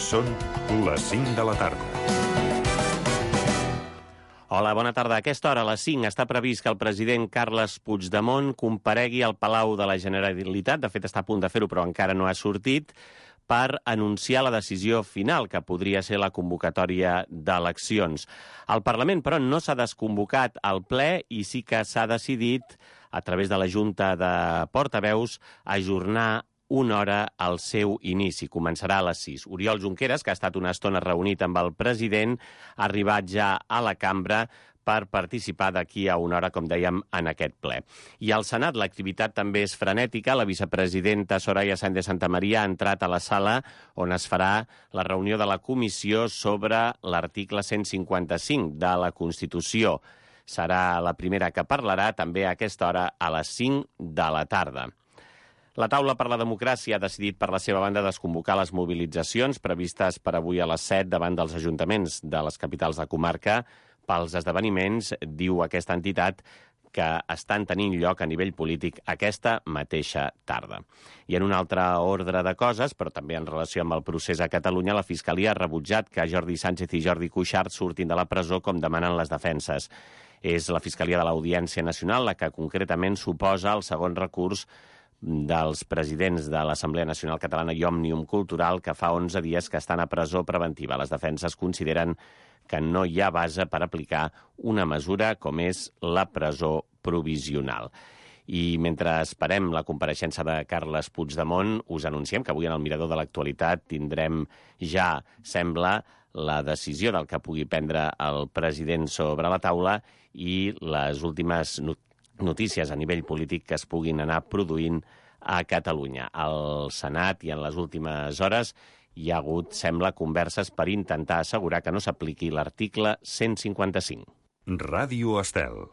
Són les 5 de la tarda. Hola, bona tarda. A aquesta hora, a les 5, està previst que el president Carles Puigdemont comparegui al Palau de la Generalitat. De fet, està a punt de fer-ho, però encara no ha sortit, per anunciar la decisió final, que podria ser la convocatòria d'eleccions. El Parlament, però, no s'ha desconvocat al ple i sí que s'ha decidit, a través de la Junta de Portaveus, ajornar una hora al seu inici. Començarà a les 6. Oriol Junqueras, que ha estat una estona reunit amb el president, ha arribat ja a la cambra per participar d'aquí a una hora, com dèiem, en aquest ple. I al Senat l'activitat també és frenètica. La vicepresidenta Soraya Sáenz de Santamaría ha entrat a la sala on es farà la reunió de la comissió sobre l'article 155 de la Constitució. Serà la primera que parlarà també a aquesta hora a les 5 de la tarda. La Taula per la Democràcia ha decidit per la seva banda desconvocar les mobilitzacions previstes per avui a les 7 davant dels ajuntaments de les capitals de comarca pels esdeveniments, diu aquesta entitat, que estan tenint lloc a nivell polític aquesta mateixa tarda. I en un altre ordre de coses, però també en relació amb el procés a Catalunya, la Fiscalia ha rebutjat que Jordi Sánchez i Jordi Cuixart surtin de la presó com demanen les defenses. És la Fiscalia de l'Audiència Nacional la que concretament suposa el segon recurs dels presidents de l'Assemblea Nacional Catalana i Òmnium Cultural, que fa 11 dies que estan a presó preventiva. Les defenses consideren que no hi ha base per aplicar una mesura com és la presó provisional. I mentre esperem la compareixença de Carles Puigdemont, us anunciem que avui en el Mirador de l'Actualitat tindrem ja, sembla, la decisió del que pugui prendre el president sobre la taula i les últimes notícies a nivell polític que es puguin anar produint a Catalunya. Al Senat i en les últimes hores hi ha hagut, sembla, converses per intentar assegurar que no s'apliqui l'article 155. Ràdio Estel.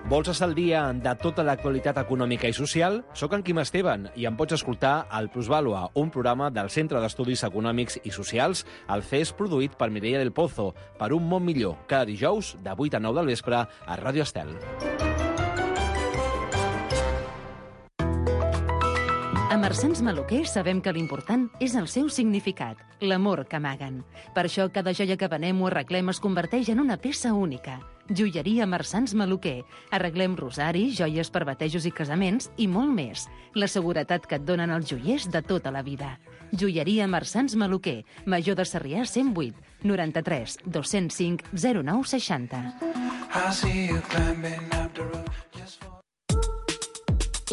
Vols estar al dia de tota l'actualitat econòmica i social? Soc en Quim Esteban i em pots escoltar al Plusvàlua, un programa del Centre d'Estudis Econòmics i Socials, el CES, produït per Mireia del Pozo, per un món millor, cada dijous de 8 a 9 del vespre a Ràdio Estel. A Marsans Maluquer sabem que l'important és el seu significat, l'amor que amaguen. Per això cada joia que venem o arreglem es converteix en una peça única. Joieria Marsans Maluquer. Arreglem rosaris, joies per batejos i casaments i molt més. La seguretat que et donen els joiers de tota la vida. Joieria Marsans Maluquer. Major de Sarrià 108 93 205 09 60.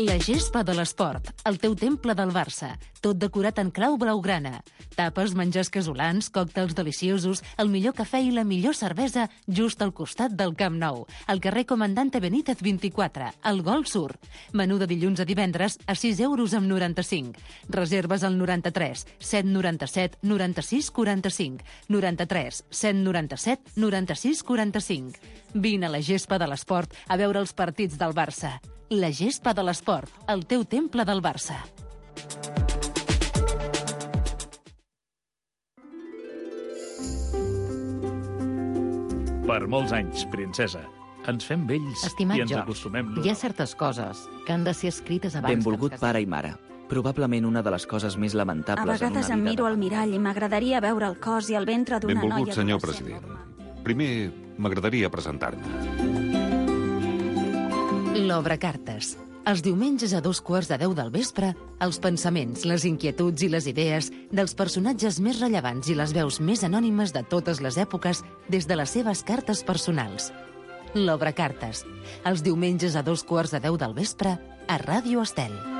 La gespa de l'esport, el teu temple del Barça, tot decorat en clau blaugrana. Tapes, menjars casolans, còctels deliciosos, el millor cafè i la millor cervesa just al costat del Camp Nou, al carrer Comandante Benítez 24, al Golf Sur. Menú de dilluns a divendres a 6 euros amb 95. Reserves al 93 797 96 45, 93 797 96 45. Vine a la gespa de l'esport a veure els partits del Barça. La gespa de l'esport, el teu temple del Barça. Per molts anys, princesa. Ens fem vells Estimat i ens George, acostumem. hi ha certes coses que han de ser escrites abans Benvolgut que ens pare i mare. Probablement una de les coses més A lamentables vegades en em una miro vida al mirall i m'agradaria veure el cos i el ventre d'una noia... Benvolgut, senyor adolescent president. normal. Primer, m'agradaria presentar-me. L'Obra Cartes. Els diumenges a 2:15 del vespre, els pensaments, les inquietuds i les idees dels personatges més rellevants i les veus més anònimes de totes les èpoques des de les seves cartes personals. L'Obra Cartes. Els diumenges a 2:15 del vespre a Ràdio Estel.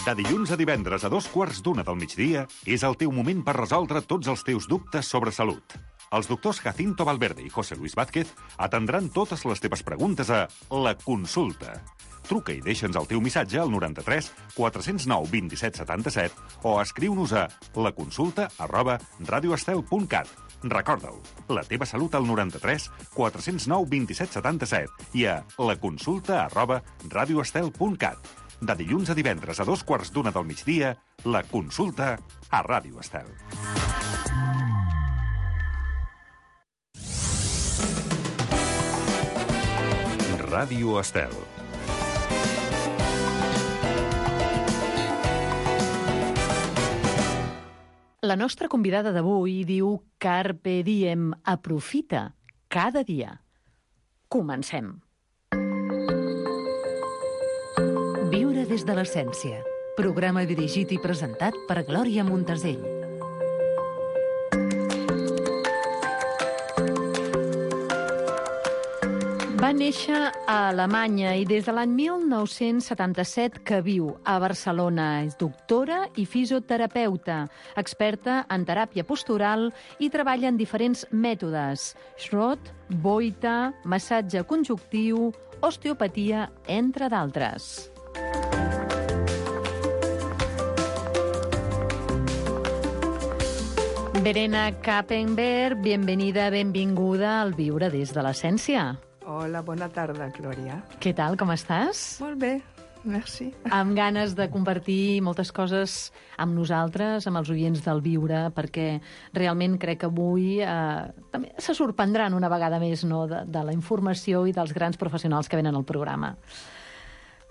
De dilluns a divendres a 2:15 del migdia és el teu moment per resoldre tots els teus dubtes sobre salut. Els doctors Jacinto Valverde i José Luis Vázquez atendran totes les teves preguntes a La Consulta. Truca i deixa'ns el teu missatge al 93 409 27 77 o escriu-nos a laconsulta@radioestel.cat. Recorda-ho, la teva salut al 93 409 27 77 i a laconsulta@radioestel.cat. De dilluns a divendres a 2:15 del migdia, La Consulta a Ràdio Estel. Ràdio Estel. La nostra convidada d'avui diu Carpe diem, aprofita cada dia. Comencem. Viure des de l'essència. Programa dirigit i presentat per Glòria Montesell. Va néixer a Alemanya i des de l'any 1977 que viu a Barcelona. És doctora i fisioterapeuta, experta en teràpia postural i treballa en diferents mètodes: Schrott, Boita, massatge conjuntiu, osteopatia, entre d'altres. Verena Kappenberg, benvinguda al Viure des de l'essència. Hola, bona tarda, Glòria. Què tal, com estàs? Molt bé, merci. Amb ganes de compartir moltes coses amb nosaltres, amb els oients del Viure, perquè realment crec que avui també se sorprendran una vegada més, no, de la informació i dels grans professionals que venen al programa.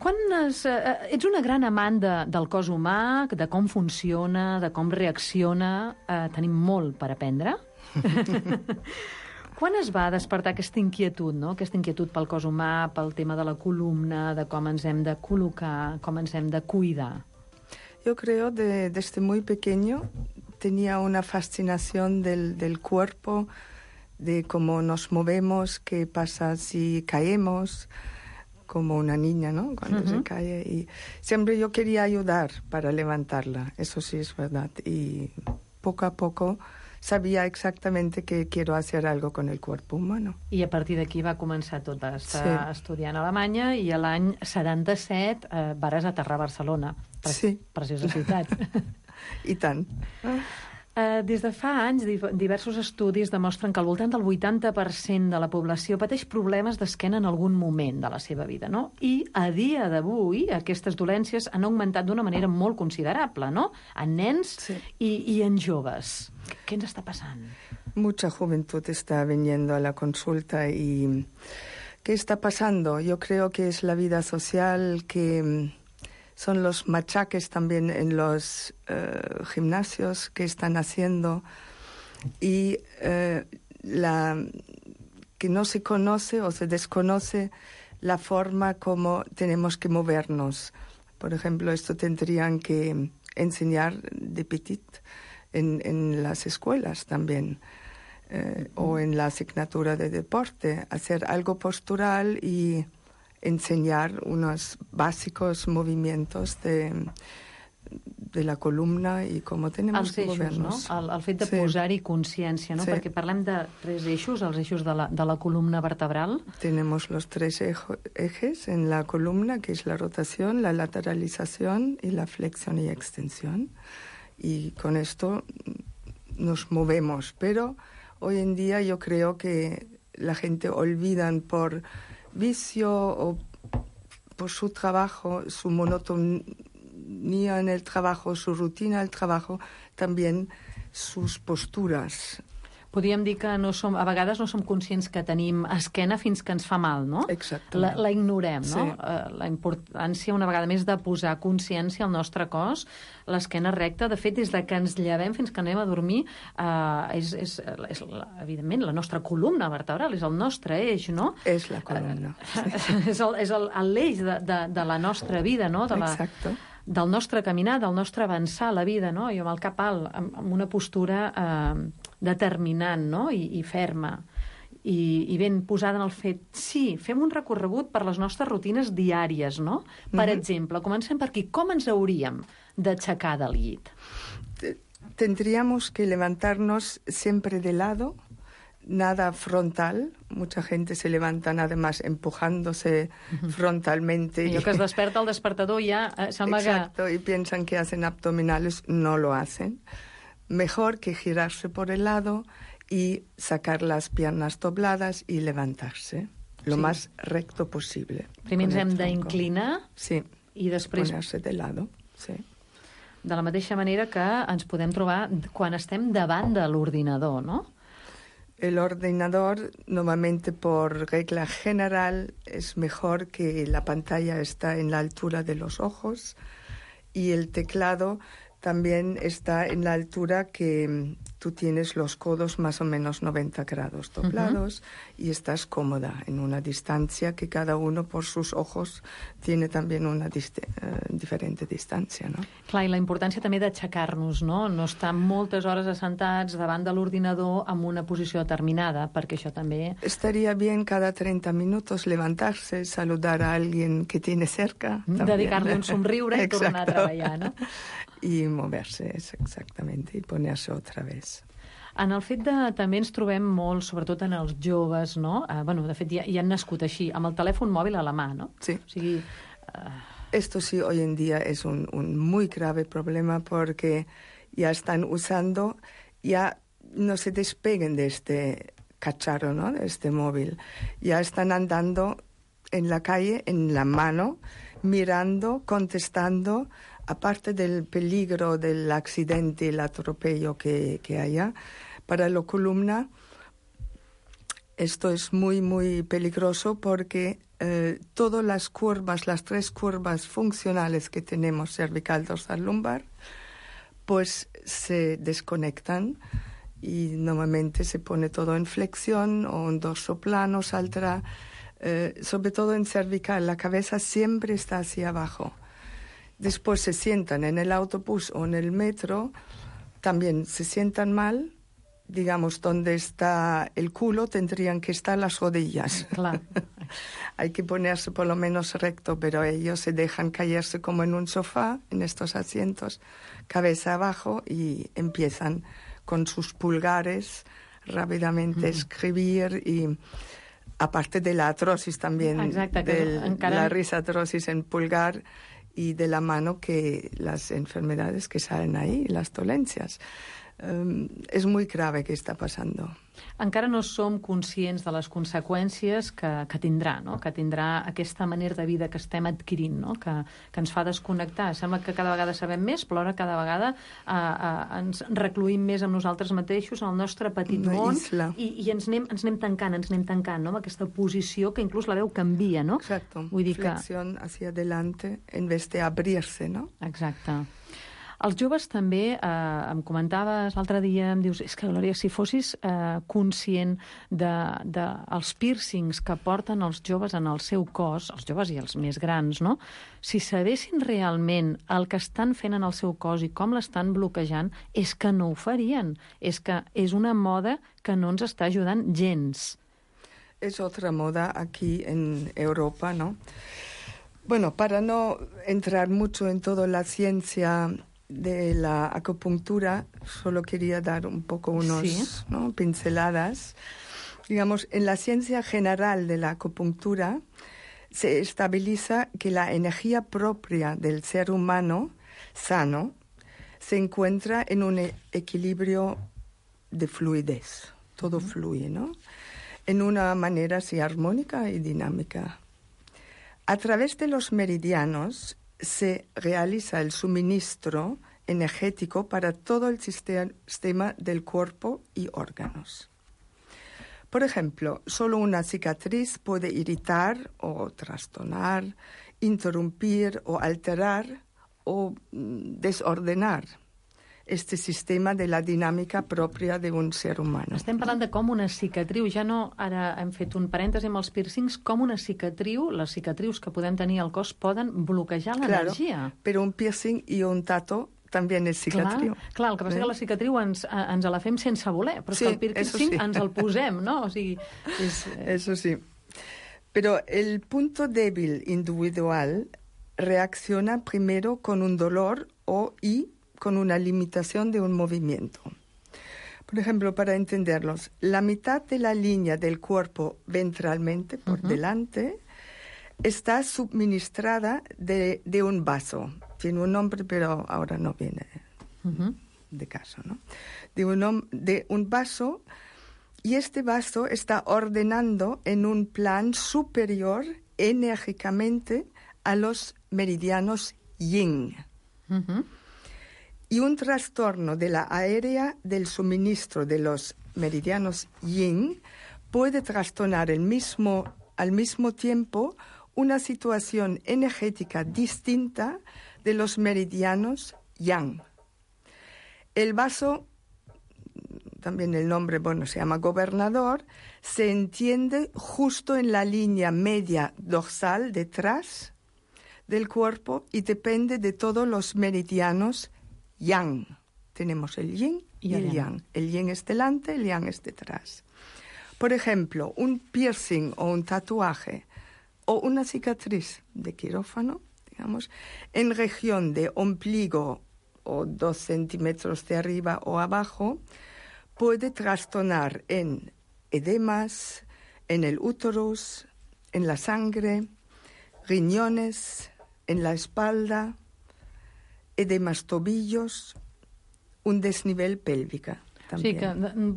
Ets una gran amant del cos humà, de com funciona, de com reacciona. Tenim molt per aprendre. Quan es va despertar aquesta inquietud, no? Aquesta inquietud pel cos humà, pel tema de la columna, de com ens hem de col·locar, com ens hem de cuidar? Yo creo desde muy pequeño tenía una fascinación del cuerpo, de cómo nos movemos, qué pasa si caemos, como una niña, ¿no? Cuando se cae. Y siempre yo quería ayudar para levantarla, eso sí es verdad. Y poco a poco sabia exactament que quiero hacer algo con el cuerpo humano. I a partir d'aquí va començar tot a estar estudiant a Alemanya i a l'any 77 vares aterrar a Barcelona. Preciosa ciutat. I tant. Des de fa anys, diversos estudis demostren que al voltant del 80% de la població pateix problemes d'esquena en algun moment de la seva vida, no? I a dia d'avui aquestes dolències han augmentat d'una manera molt considerable, no? En nens i en joves. ¿Qué ens està passant? Mucha juventud está viniendo a la consulta y ¿qué está pasando? Yo creo que es la vida social, que son los machaques también en los gimnasios que están haciendo y que no se conoce o se desconoce la forma como tenemos que movernos. Por ejemplo, esto tendrían que enseñar de petit en las escuelas también, o en la asignatura de deporte, hacer algo postural y enseñar unos básicos movimientos de la columna i com tenemos que movernos. No? El fet de posar-hi consciència, no? Perquè parlem de 3 eixos, els eixos de la columna vertebral. Tenemos los 3 ejes en la columna, que es la rotación, la lateralización y la flexión y extensión. Y con esto nos movemos. Pero hoy en día yo creo que la gente olvidan por vicio o por su trabajo, su monotonía en el trabajo, su rutina del trabajo, también sus posturas. Podríem dir que a vegades no som conscients que tenim esquena fins que ens fa mal, no? Exactament. La ignorem, no? La importància, una vegada més, de posar consciència al nostre cos. L'esquena recta, de fet, des de que ens llevem fins que anem a dormir, és evidentment, la nostra columna vertebral, és el nostre eix, no? És la columna. És l'eix de la nostra vida, no? Exacte. Del nostre caminar, del nostre avançar a la vida, no? Jo amb el cap alt, amb una postura determinant, no? I ferma. I ben posada en el fet, sí, fem un recorregut per les nostres rutines diàries, no? Per exemple, comencem per aquí. Com ens hauríem d'aixecar del llit? Tendríamos que levantarnos siempre de lado, nada frontal. Mucha gente se levanta nada más empujándose frontalmente. Allò que es desperta el despertador ja sembla que... Exacto, y piensan que hacen abdominales, no lo hacen. Mejor que girarse por el lado y sacar las piernas dobladas y levantarse lo más recto posible. Primer ens hem d'inclinar i després... Ponerse de lado, sí. De la mateixa manera que ens podem trobar quan estem davant de l'ordinador, no? El ordenador, normalmente por regla general, es mejor que la pantalla está en la altura de los ojos y el teclado también está en la altura que tú tienes los codos más o menos 90 grados doblados y estás cómoda en una distancia que cada uno por sus ojos tiene también una diferente distancia, no? Clar, i la importància també d'aixecar-nos, no? No estar moltes hores assentats davant de l'ordinador en una posició determinada, perquè això també... Estaría bien cada 30 minutos levantarse, saludar a alguien que tiene cerca. Dedicar-li un somriure i tornar a treballar, no? Y moverse, exactamente, y ponerse otra vez. En el fet de... També ens trobem molt, sobretot en els joves, no? Bueno, de fet, ja han nascut així, amb el telèfon mòbil a la mà, no? Sí. O sigui... Esto sí, hoy en día es un muy grave problema porque ya están usando, ya no se despeguen de este cacharro, ¿no? De este móvil. Ya están andando en la calle, en la mano, mirando, contestando, aparte del peligro del accidente, el atropello que haya, para la columna esto es muy, muy peligroso porque todas las curvas, las 3 curvas funcionales que tenemos, cervical, dorsal, lumbar, pues se desconectan y normalmente se pone todo en flexión o en dorso plano, saldrá, sobre todo en cervical, la cabeza siempre está hacia abajo. Después se sientan en el autobús o en el metro, también se sientan mal, digamos, donde está el culo tendrían que estar las rodillas. Claro. Hay que ponerse por lo menos recto, pero ellos se dejan caerse como en un sofá, en estos asientos, cabeza abajo, y empiezan con sus pulgares rápidamente escribir y... Aparte de la artrosis también, exacte, la risatrosis en pulgar y de la mano, que las enfermedades que salen ahí, las dolencias. És molt grave què està passant. Encara no som conscients de les conseqüències que tindrà, no? Que tindrà aquesta manera de vida que estem adquirint, no? Que ens fa desconnectar. Sembla que cada vegada sabem més, però ara cada vegada ens recluïm més amb nosaltres mateixos, en el nostre petit món, i ens anem tancant, no? Amb aquesta posició que inclús la veu canvia, no? Exacto. Flexión hacia adelante en vez de abrirse, no? Exacte. Els joves també, em comentaves l'altre dia, em dius, és que, Glòria, si fossis conscient dels piercings que porten els joves en el seu cos, els joves i els més grans, no? Si sabessin realment el que estan fent en el seu cos i com l'estan bloquejant, és que no ho farien. És que és una moda que no ens està ajudant gens. Es otra moda aquí en Europa, ¿no? Bueno, para no entrar mucho en toda la ciencia de la acupuntura, solo quería dar un poco unos pinceladas. Digamos, en la ciencia general de la acupuntura se estabiliza que la energía propia del ser humano sano se encuentra en un equilibrio de fluidez. Todo fluye, ¿no? En una manera así armónica y dinámica. A través de los meridianos se realiza el suministro energético para todo el sistema del cuerpo y órganos. Por ejemplo, solo una cicatriz puede irritar o trastornar, interrumpir o alterar o desordenar este sistema de la dinàmica pròpia d'un ser humà. Estem parlant de com una cicatriu, ja no, ara hem fet un parèntesi amb els piercings, com una cicatriu, les cicatrius que podem tenir al cos poden bloquejar l'energia. Claro, però un piercing i un tatu també és cicatriu. Clar, el que passa és que la cicatriu ens la fem sense voler, però sí, que el piercing ens el posem, no? O sigui, Eso sí. Pero el punto débil individual reacciona primero con un dolor y con una limitación de un movimiento. Por ejemplo, para entenderlos, la mitad de la línea del cuerpo ventralmente, por delante, está suministrada de un vaso. Tiene un nombre, pero ahora no viene de caso, ¿no? De un vaso, y este vaso está ordenando en un plan superior enérgicamente a los meridianos yin. Y un trastorno de la área del suministro de los meridianos yin, puede trastornar al mismo tiempo una situación energética distinta de los meridianos yang. El vaso, también el nombre, se llama gobernador, se entiende justo en la línea media dorsal detrás del cuerpo y depende de todos los meridianos yang. Tenemos el yin y el yang. El yin es delante, el yang es detrás. Por ejemplo, un piercing o un tatuaje o una cicatriz de quirófano, digamos, en región de ombligo o 2 centímetros de arriba o abajo, puede trastornar en edemas, en el úterus, en la sangre, riñones, en la espalda, edemas tobillos, un desnivel pélvico. També. O sigui que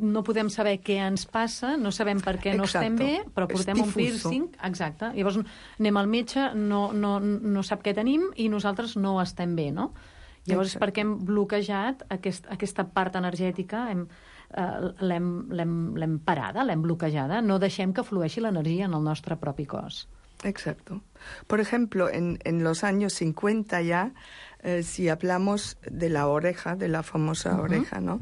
no podem saber què ens passa, no sabem per què no estem bé, però portem un piercing. Exacte. Llavors anem al metge, no sap què tenim i nosaltres no estem bé, no? Llavors, perquè hem bloquejat aquesta part energètica, l'hem parada, l'hem bloquejada, no deixem que flueixi l'energia en el nostre propi cos. Exacto. Por ejemplo, en los años 50 ya, si hablamos de la oreja, de la famosa oreja, ¿no?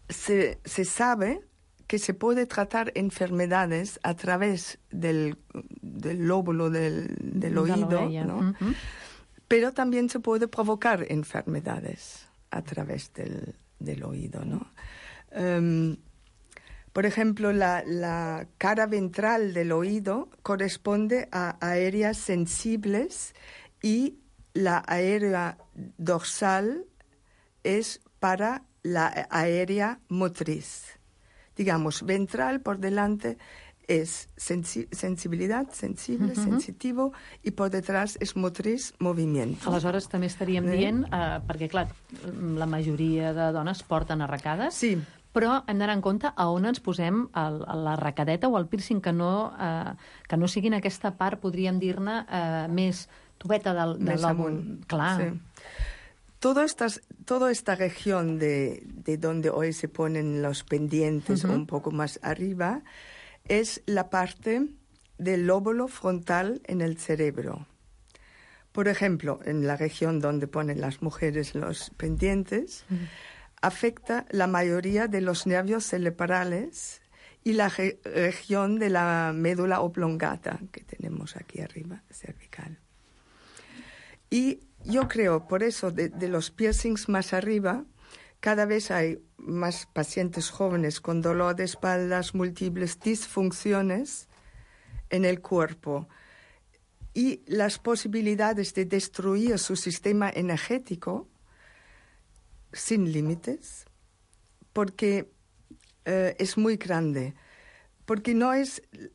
Se sabe que se puede tratar enfermedades a través del lóbulo del oído, ¿no? Pero también se puede provocar enfermedades a través del oído, ¿no? Por ejemplo, la cara ventral del oído corresponde a áreas sensibles y la área dorsal es para la área motriz. Digamos, ventral por delante es sensibilidad, sensible, sensitivo, i por detrás és motriz, movimiento. Aleshores també estaríem dient, perquè clar, la majoria de dones porten arracades, sí, però hem d'anar en compte a on ens posem l'arracadeta o el piercing, que no sigui en aquesta part, podríem dir-ne, més tubeta del amunt. Clar. Sí. Toda esta región de donde hoy se ponen los pendientes un poco más arriba es la parte del lóbulo frontal en el cerebro. Por ejemplo, en la región donde ponen las mujeres los pendientes, afecta la mayoría de los nervios cerebrales y la región de la médula oblongata que tenemos aquí arriba, cervical. Y yo creo, por eso, de los piercings más arriba, cada vez hay más pacientes jóvenes con dolor de espaldas, múltiples disfunciones en el cuerpo y las posibilidades de destruir su sistema energético sin límites, porque es muy grande. Porque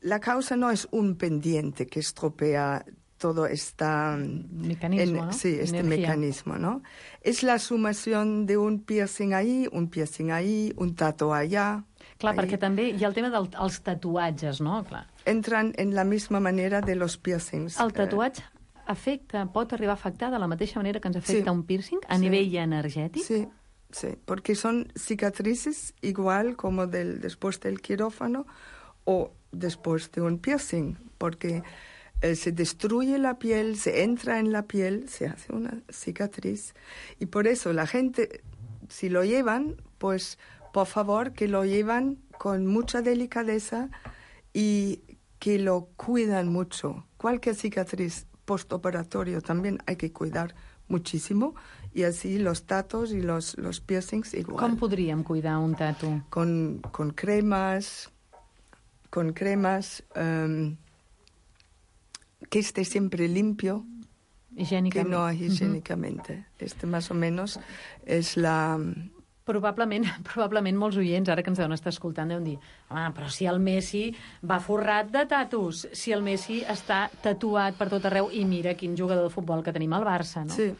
la causa no es un pendiente que estropea todo este mecanismo, ¿no? Sí, este mecanismo, ¿no? Es la sumación de un piercing ahí, un tatu allá. Clar, perquè també hi ha el tema dels tatuatges, no? Clar. Entran en la misma manera de los piercings. El tatuatge pot arribar a afectar de la mateixa manera que ens afecta un piercing a nivell energètic? Sí, sí, porque son cicatrices igual como después del quirófano o después de un piercing, porque se destruye la piel, se entra en la piel, se hace una cicatriz. Y por eso la gente, si lo llevan, pues por favor que lo llevan con mucha delicadeza y que lo cuidan mucho. Cualquier cicatriz postoperatorio también hay que cuidar muchísimo, y así los tatus y los piercings igual. Com podríem cuidar un tatu? Con cremas, que esté siempre limpio, que no higiénicamente. Más o menos es la... Probablement molts oients, ara que ens deuen estar escoltant, deuen dir, però si el Messi va forrat de tatus, si el Messi està tatuat per tot arreu, i mira quin jugador de futbol que tenim al Barça, no? Sí.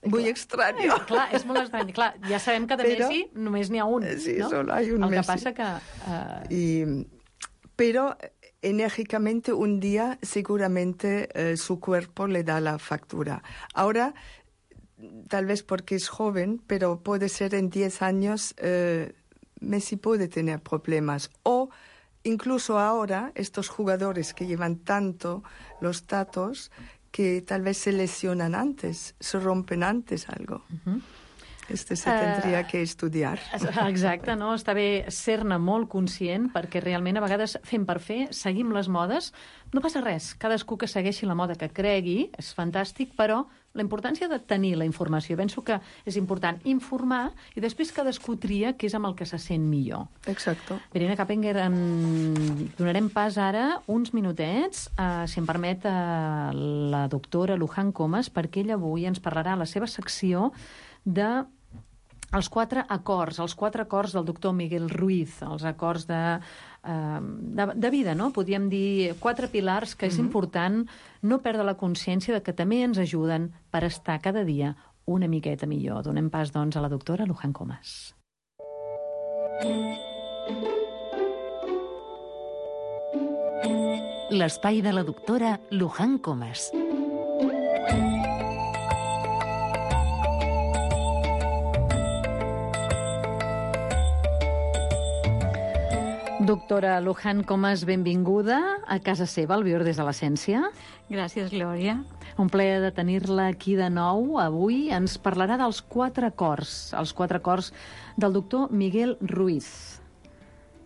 Muy extraño. Clar, és molt estrany. Clar, ja sabem que de Messi només n'hi ha un, sí, no? Solo hay un el que Messi. passa que... Pero enérgicamente un día seguramente su cuerpo le da la factura. Ahora, tal vez porque es joven, pero puede ser en 10 años Messi puede tener problemas. O incluso ahora, estos jugadores que llevan tanto los datos, que tal vez se lesionan antes, se rompen antes algo. Se tindria que estudiar. Exacte, no? Està bé ser-ne molt conscient, perquè realment a vegades fem per fer, seguim les modes, no passa res, cadascú que segueixi la moda que cregui, és fantàsc, però la importància de tenir la informació, penso que és important informar i després cadascú tria què és amb el que se sent millor. Exacte. Verena Cappenger, donarem pas ara uns minutets, si em permet, a la doctora Luján Comas, perquè ella avui ens parlarà a la seva secció de els 4 acords del doctor Miguel Ruiz, els acords de vida, no? Podríem dir 4 pilars que és important no perdre la consciència de que també ens ajuden per estar cada dia una miqueta millor. Donem pas, doncs, a la doctora Luján Comas. L'espai de la doctora Luján Comas. Doctora Luján Comas, benvinguda a casa seva, al Viure des de l'Essència. Gràcies, Glòria. Un plaer de tenir-la aquí de nou. Avui ens parlarà dels 4 acords, els 4 acords del doctor Miguel Ruiz.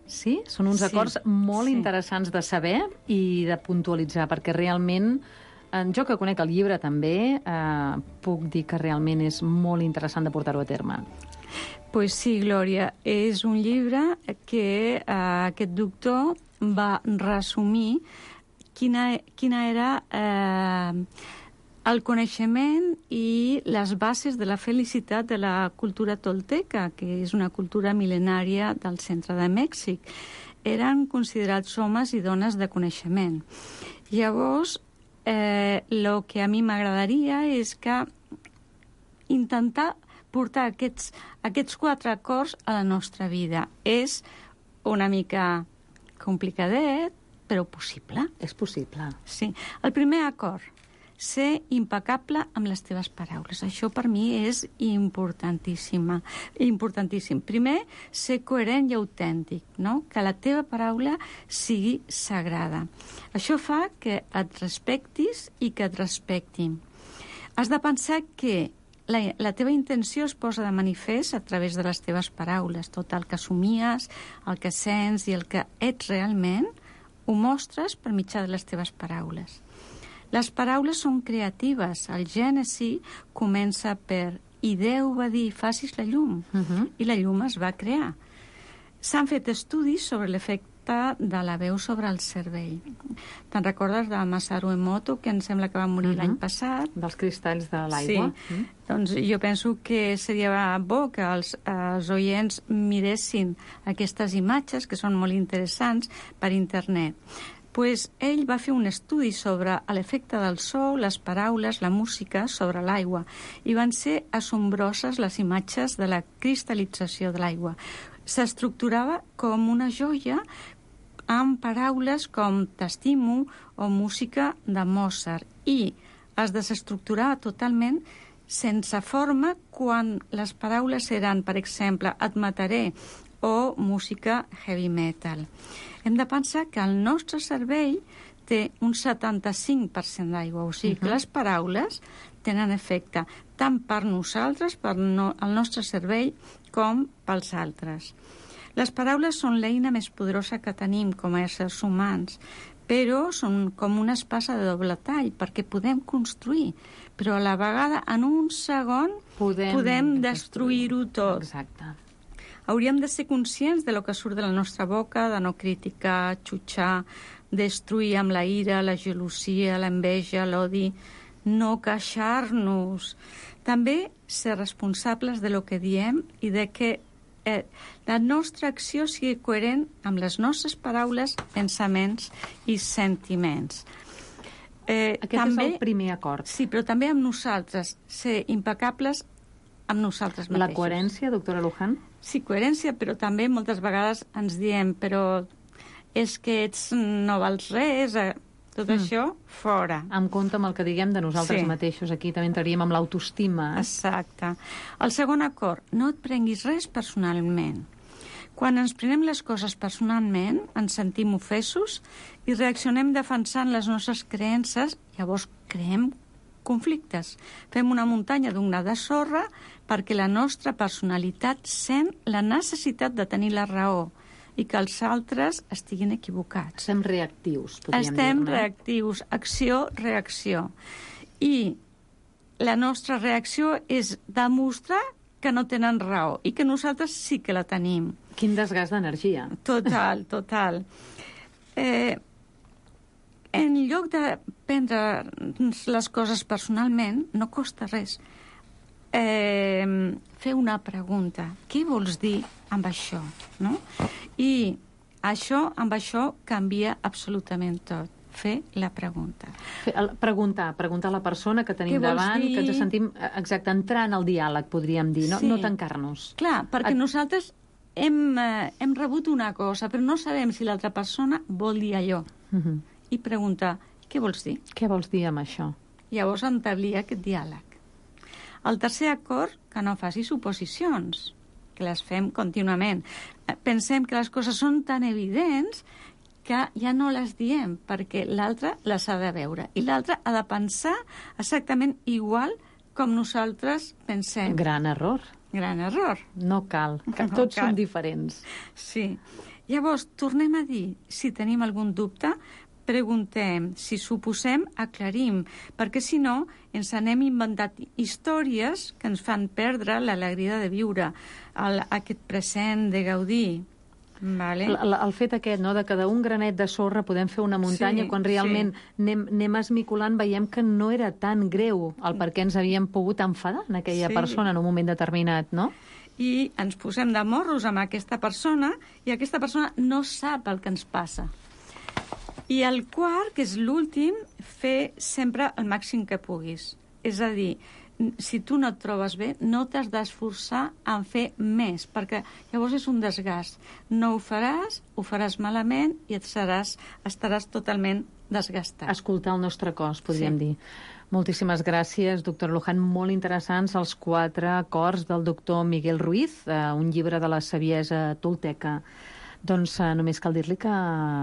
Sí? Són uns acords molt interessants de saber i de puntualitzar, perquè realment, jo que conec el llibre també, puc dir que realment és molt interessant de portar-ho a terme. Pues sí, Glòria, és un llibre que aquest doctor va resumir quina era el coneixement i les bases de la felicitat de la cultura tolteca, que és una cultura mil·lenària del centre de Mèxic. Eren considerats homes i dones de coneixement. Llavors, el que a mi m'agradaria és que intentar portar aquests 4 acords a la nostra vida. És una mica complicadet, però possible. És possible. Sí. El primer acord, ser impecable amb les teves paraules. Això per mi és importantíssim. Primer, ser coherent i autèntic, no? Que la teva paraula sigui sagrada. Això fa que et respectis i que et respectin. Has de pensar que la teva intenció es posa de manifest a través de les teves paraules. Tot el que somies, el que sents i el que ets realment ho mostres per mitjà de les teves paraules. Les paraules són creatives. El Gènesi comença per i Déu va dir, facis la llum, i la llum es va crear. S'han fet estudis sobre l'efecte de la veu sobre el cervell. Te'n recordes de Masaru Emoto, que em sembla que va morir l'any passat? Dels cristalls de l'aigua. Sí. Doncs jo penso que seria bo que els oients miressin aquestes imatges, que són molt interessants, per internet. Pues ell va fer un estudi sobre l'efecte del so, les paraules, la música sobre l'aigua, i van ser assombroses les imatges de la cristal·lització de l'aigua. S'estructurava com una joia amb paraules com t'estimo o música de Mozart, i es desestructurava totalment sense forma quan les paraules eren, per exemple, et mataré o música heavy metal. Hem de pensar que el nostre cervell té un 75% d'aigua, o sigui que les paraules tenen efecte tant per nosaltres, per el nostre cervell, com pels altres. Les paraules són l'eina més poderosa que tenim com a éssers humans, però són com una espasa de doble tall, perquè podem construir, però a la vegada, en un segon, podem destruir-ho tot. Exacte. Hauríem de ser conscients de lo que surt de la nostra boca, de no criticar, xutxar, destruir amb la ira, la gelosia, l'enveja, l'odi, no queixar-nos. També ser responsables de lo que diem i de que la nostra acció sigui coherent amb les nostres paraules, pensaments i sentiments. Aquest també és el primer acord. Sí, però també amb nosaltres, ser impecables amb nosaltres mateixos. La coherència, doctora Luján? Sí, coherència, però també moltes vegades ens diem, però és que ets no vals res, Tot això, fora. En compte amb el que diguem de nosaltres mateixos. Aquí també entraríem amb l'autoestima. Exacte. El segon acord, no et prenguis res personalment. Quan ens prenem les coses personalment, ens sentim ofesos i reaccionem defensant les nostres creences, llavors creem conflictes. Fem una muntanya d'una de sorra perquè la nostra personalitat sent la necessitat de tenir la raó i que els altres estiguin equivocats. Estem reactius, podríem dir, no? Estem reactius, acció-reacció. I la nostra reacció és demostrar que no tenen raó i que nosaltres sí que la tenim. Quin desgast d'energia. Total, total. En lloc de prendre les coses personalment, no costa res. Fer una pregunta. Què vols dir amb això? No? I amb això canvia absolutament tot. Fer la pregunta. Preguntar a la persona que tenim davant, que ens sentim exacte, entrar en el diàleg, podríem dir, no, no tancar-nos. Clar, perquè nosaltres hem rebut una cosa, però no sabem si l'altra persona vol dir allò. I preguntar, què vols dir? Què vols dir amb això? Llavors entablir aquest diàleg. El tercer acord, que no faci suposicions, que les fem contínuament. Pensem que les coses són tan evidents que ja no les diem, perquè l'altre les ha de veure. I l'altre ha de pensar exactament igual com nosaltres pensem. Gran error. Gran error. No cal, que tots som diferents. Sí. Llavors, tornem a dir, si tenim algun dubte, preguntem, si suposem, aclarim, perquè si no ens anem inventant històries que ens fan perdre l'alegria de viure, aquest present de gaudir. Vale. El fet aquest, no?, de que d'un granet de sorra podem fer una muntanya, quan realment anem esmicolant, veiem que no era tan greu el per què ens havíem pogut enfadar en aquella persona en un moment determinat, no? I ens posem de morros amb aquesta persona i aquesta persona no sap el que ens passa. I el quart, que és l'últim, fer sempre el màxim que puguis. És a dir, si tu no et trobes bé, no t'has d'esforçar en fer més, perquè llavors és un desgast. No ho faràs malament i estaràs totalment desgastat. Escoltar el nostre cos, podríem dir. Moltíssimes gràcies, doctor Luján. Molt interessants els 4 acords del doctor Miguel Ruiz, un llibre de la saviesa tolteca. Doncs només cal dir-li que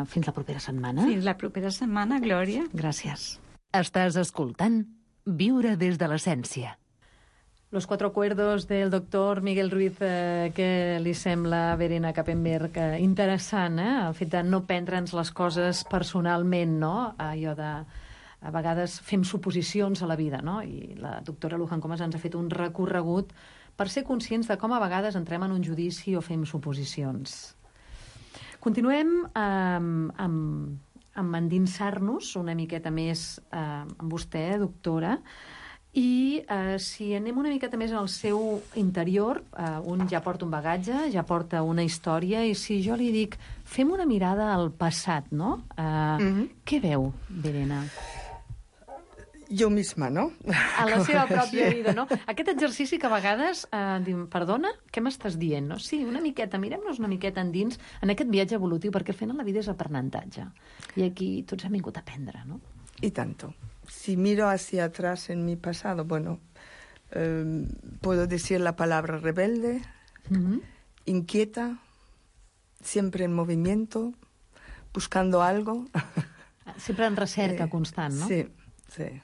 fins la propera setmana. Fins la propera setmana, Glòria. Gràcies. Estàs escoltant Viure des de l'essència. Los 4 acuerdos del doctor Miguel Ruiz, que li sembla, Verena Kappenberg, interessant, el fet de no prendre'ns les coses personalment, no? Allò de... A vegades fem suposicions a la vida, no? I la doctora Luján Comas ens ha fet un recorregut per ser conscients de com a vegades entrem en un judici o fem suposicions. Continuem amb endinsar-nos una miqueta més amb vostè, doctora, i si anem una miqueta més al seu interior, un ja porta un bagatge, ja porta una història, i si jo li dic, fem una mirada al passat, no? Què veu, Verena? Jo misma, no? A la seva pròpia vida, no? Aquest exercici que a vegades diu, perdona, què m'estàs dient? No? Sí, una miqueta, mirem-nos una miqueta endins en aquest viatge evolutiu, perquè al final la vida és aprenentatge. I aquí tots hem vingut a aprendre, no? Y tanto. Si miro hacia atrás en mi pasado, bueno, puedo decir la palabra rebelde, inquieta, siempre en movimiento, buscando algo. Siempre en recerca constant, ¿no? Sí, sí.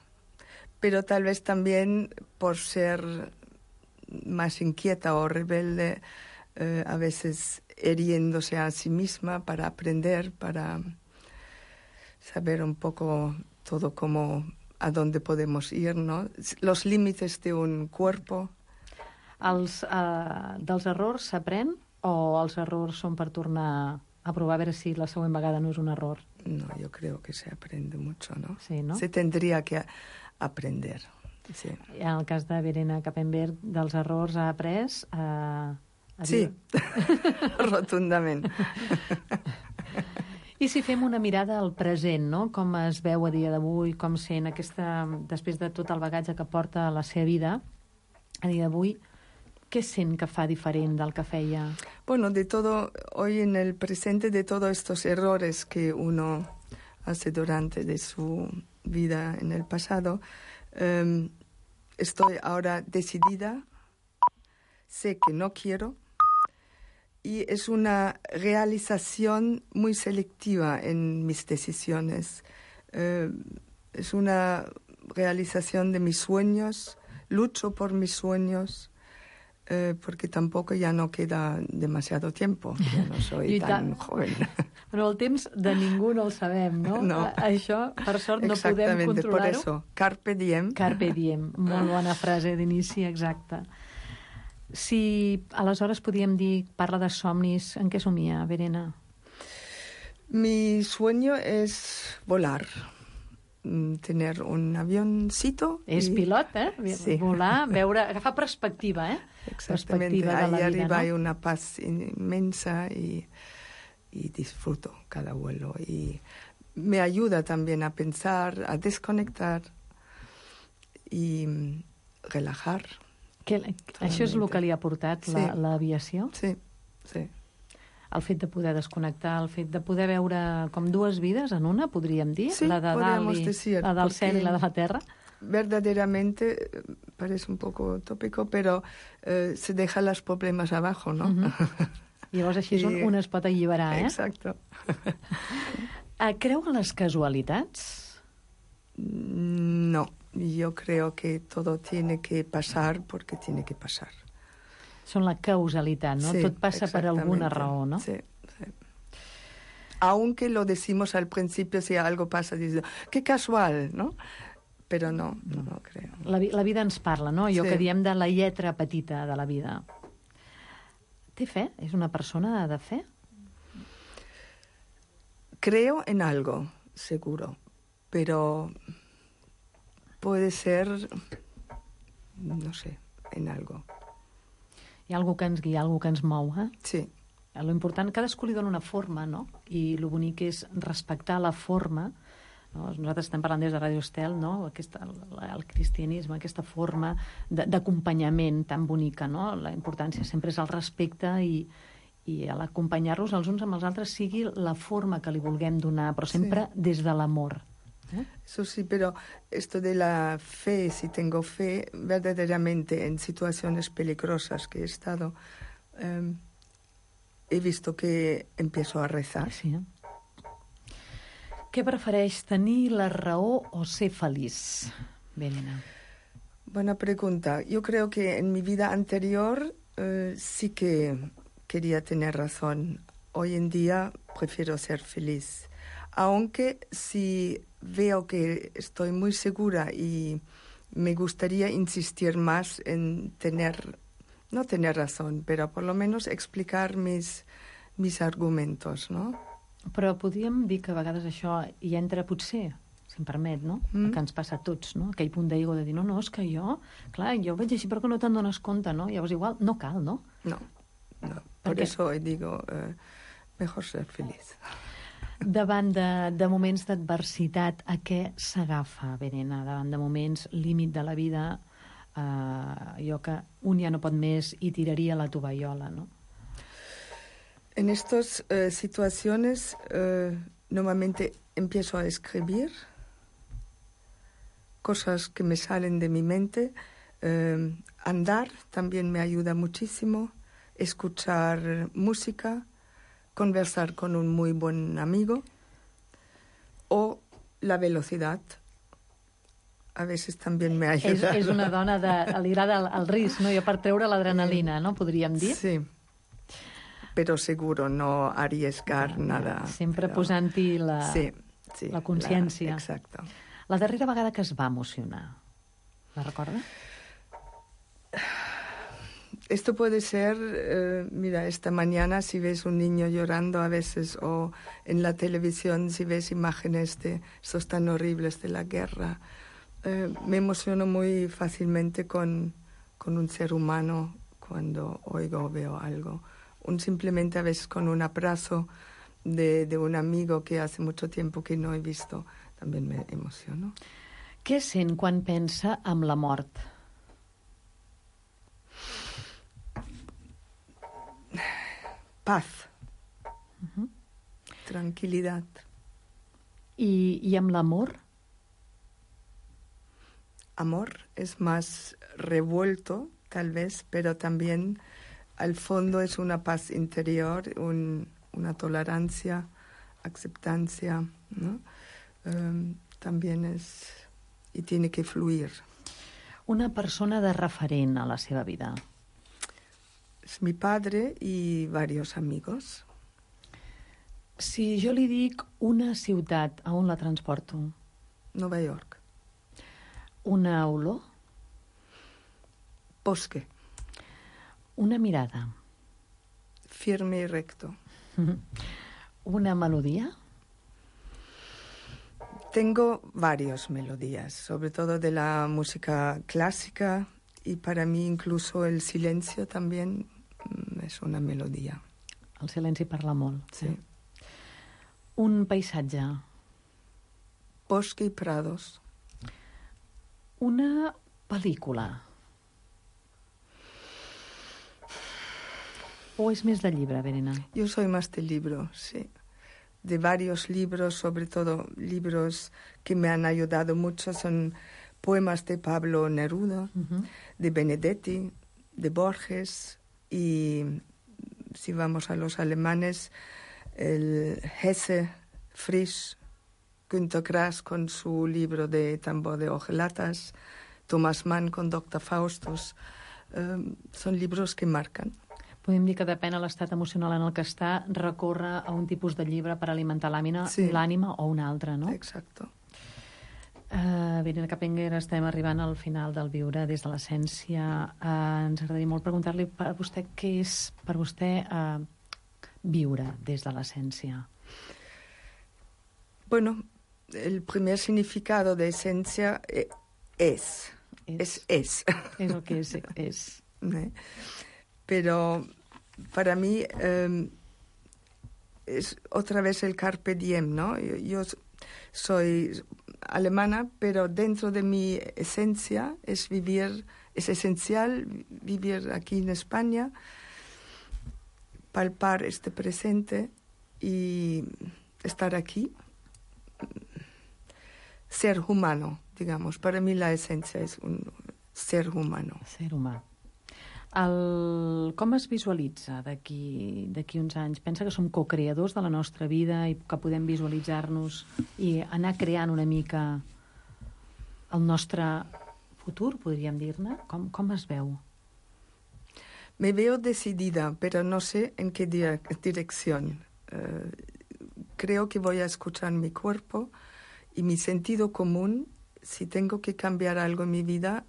Pero tal vez también por ser más inquieta o rebelde, a veces hiriéndose a sí misma para aprender, para saber un poco todo a dónde podemos ir, ¿no? Los límites de un cuerpo. Dels errors s'aprèn o els errors són per tornar a provar a veure si la següent vegada no és un error? No, yo creo que se aprende mucho, ¿no? Sí, ¿no? Se tendría que aprender. Sí. En el cas de Verena Kappenberg, dels errors ha après sí, rotundament. I si fem una mirada al present, no? Com es veu a dia d'avui, com sent després de tot el bagatge que porta a la seva vida, a dia d'avui, què sent que fa diferent del que feia? Bueno, de todo, hoy en el presente, de todos estos errores que uno hace durante de su vida en el pasado. Estoy ahora decidida, sé que no quiero, y es una realización muy selectiva en mis decisiones. Es una realización de mis sueños, lucho por mis sueños, porque tampoco ja no queda demasiado tiempo, ja no soy tan joven. Però el temps de ningú no el sabem, no? No. Això, per sort, no podem controlar-ho. Exactamente, por eso, carpe diem. Carpe diem, molt bona frase d'inici, exacte. Si aleshores podíem dir, parla de somnis, en què somia, Verena? Mi sueño es volar. Tener un avioncito. És pilot, Sí. Volar, veure, agafar perspectiva, Exactamente, perspectiva de la ahí vida, arriba ¿no? hay una paz inmensa y disfruto cada vuelo. Y me ayuda también a pensar, a desconectar y relajar. Això és el que li ha portat l'aviació? Sí, sí. El fet de poder desconnectar, el fet de poder veure com dues vides en una, podríem dir? Sí, la de podríamos decir. La del cel i la de la terra? Verdaderamente, parece un poco tópico, pero se deja los problemas abajo, ¿no? Llavors així un es pot alliberar, Exacto. Creu en les casualitats? No, yo creo que todo tiene que pasar porque tiene que pasar. Són la causalitat, ¿no? Sí, Tot passa per alguna raó, ¿no? Sí, sí. Aunque lo decimos al principio, si algo pasa, dices, qué casual, ¿no? Pero no creo. La vida ens parla, no? Allò Sí. que diem de la lletra petita de la vida. Té fe? És una persona de fe? Creo en algo, seguro, pero puede ser, no sé, en algo. Hi ha algú que ens guia, algú que ens mou, Sí. Lo important, cadascú li dona una forma, no? I lo bonic és respectar la forma, no? Nosaltres estem parlant des de Radio Estel, no? El cristianisme, aquesta forma d'acompanyament tan bonica, no? La importància sempre és el respecte i l'acompanyar-los els uns amb els altres sigui la forma que li vulguem donar, però sempre des de l'amor. Eso sí, pero esto de la fe, si tengo fe, verdaderamente en situaciones peligrosas que he estado, he visto que empiezo a rezar. Sí. Què prefereix, tenir la raó o ser feliç, Verena? Buena pregunta. Yo creo que en mi vida anterior sí que quería tener razón. Hoy en día prefiero ser feliz. Aunque si veo que estoy muy segura y me gustaría insistir más en no tener razón, pero por lo menos explicar mis argumentos, ¿no? Però podríem dir que a vegades això hi entra potser, si em permet, no? Que ens passa a tots, no? Aquell punt d'ego de dir, no, és que jo veig així, però que no te'n dones compte, no? Llavors igual no cal, no? No. Por eso hoy digo, mejor ser feliz. Davant de moments d'adversitat, a què s'agafa, Verena? Davant de moments límit de la vida, allò que un ja no pot més i tiraria la tovallola, no? En estas situaciones normalmente empiezo a escribir cosas que me salen de mi mente. Andar también me ayuda muchísimo. Escuchar música, conversar con un muy buen amigo o la velocidad. A veces también me ayuda. És una dona li agrada el risc, no? Jo per treure l'adrenalina, no? Podríem dir. Sí. Pero seguro no arriesgar nada. Sempre posant-hi la consciència. Exacto. La darrera vegada que es va emocionar, la recorda? Esto puede ser, mira, esta mañana si ves un niño llorando a veces o en la televisión si ves imágenes de estos tan horribles de la guerra, me emociono muy fácilmente con un ser humano cuando oigo o veo algo. Simplemente a veces con un abrazo de un amigo que hace mucho tiempo que no he visto, también me emociono. Què sent quan pensa en la mort? Paz. Tranquilidad. ¿Y amb l'amor? Amor es más revuelto, tal vez, pero también al fondo es una paz interior, una tolerancia, aceptancia, ¿no? También es... y tiene que fluir. Una persona de referent a la seva vida. Es mi padre y varios amigos. Si jo li dic una ciutat, a on la transporto? Nueva York. Una olor? Bosque. Una mirada? Firme y recto. Una melodía? Tengo varias melodías, sobre todo de la música clásica, y para mí incluso el silencio también es una melodía. El silenci parla molt. Sí. Un paisatge? Bosque y prados. Una pel·lícula? ¿O es més de llibre, Verena? Yo soy más de libro, sí. De varios libros, sobre todo libros que me han ayudado mucho, son poemas de Pablo Neruda, de Benedetti, de Borges, y si vamos a los alemanes, el Hesse, Frisch, Günter Grass con su libro de Tambor de Ojelatas, Thomas Mann con Dr. Faustus, son libros que marcan. Podem dir que depèn de l'estat emocional en el que està, recorre a un tipus de llibre per alimentar l'ànima o un altre, no? Exacto. Verena Capenger, estem arribant al final del Viure des de l'essència. Ens agradaria molt preguntar-li per vostè què és per vostè viure des de l'essència. Bueno, el primer significado de esencia es. Es lo que es. Pero para mí es otra vez el carpe diem, ¿no? Yo soy alemana, pero dentro de mi esencia es esencial vivir aquí en España, palpar este presente y estar aquí. Ser humano, digamos. Para mí la esencia es un ser humano. Ser humà. Com es visualitza d'aquí uns anys? Pensa que som co-creadors de la nostra vida i que podem visualitzar-nos i anar creant una mica el nostre futur, podríem dir-ne? Com es veu? Me veo decidida, pero no sé en qué dirección. Creo que voy a escuchar mi cuerpo y mi sentido común. Si tengo que cambiar algo en mi vida,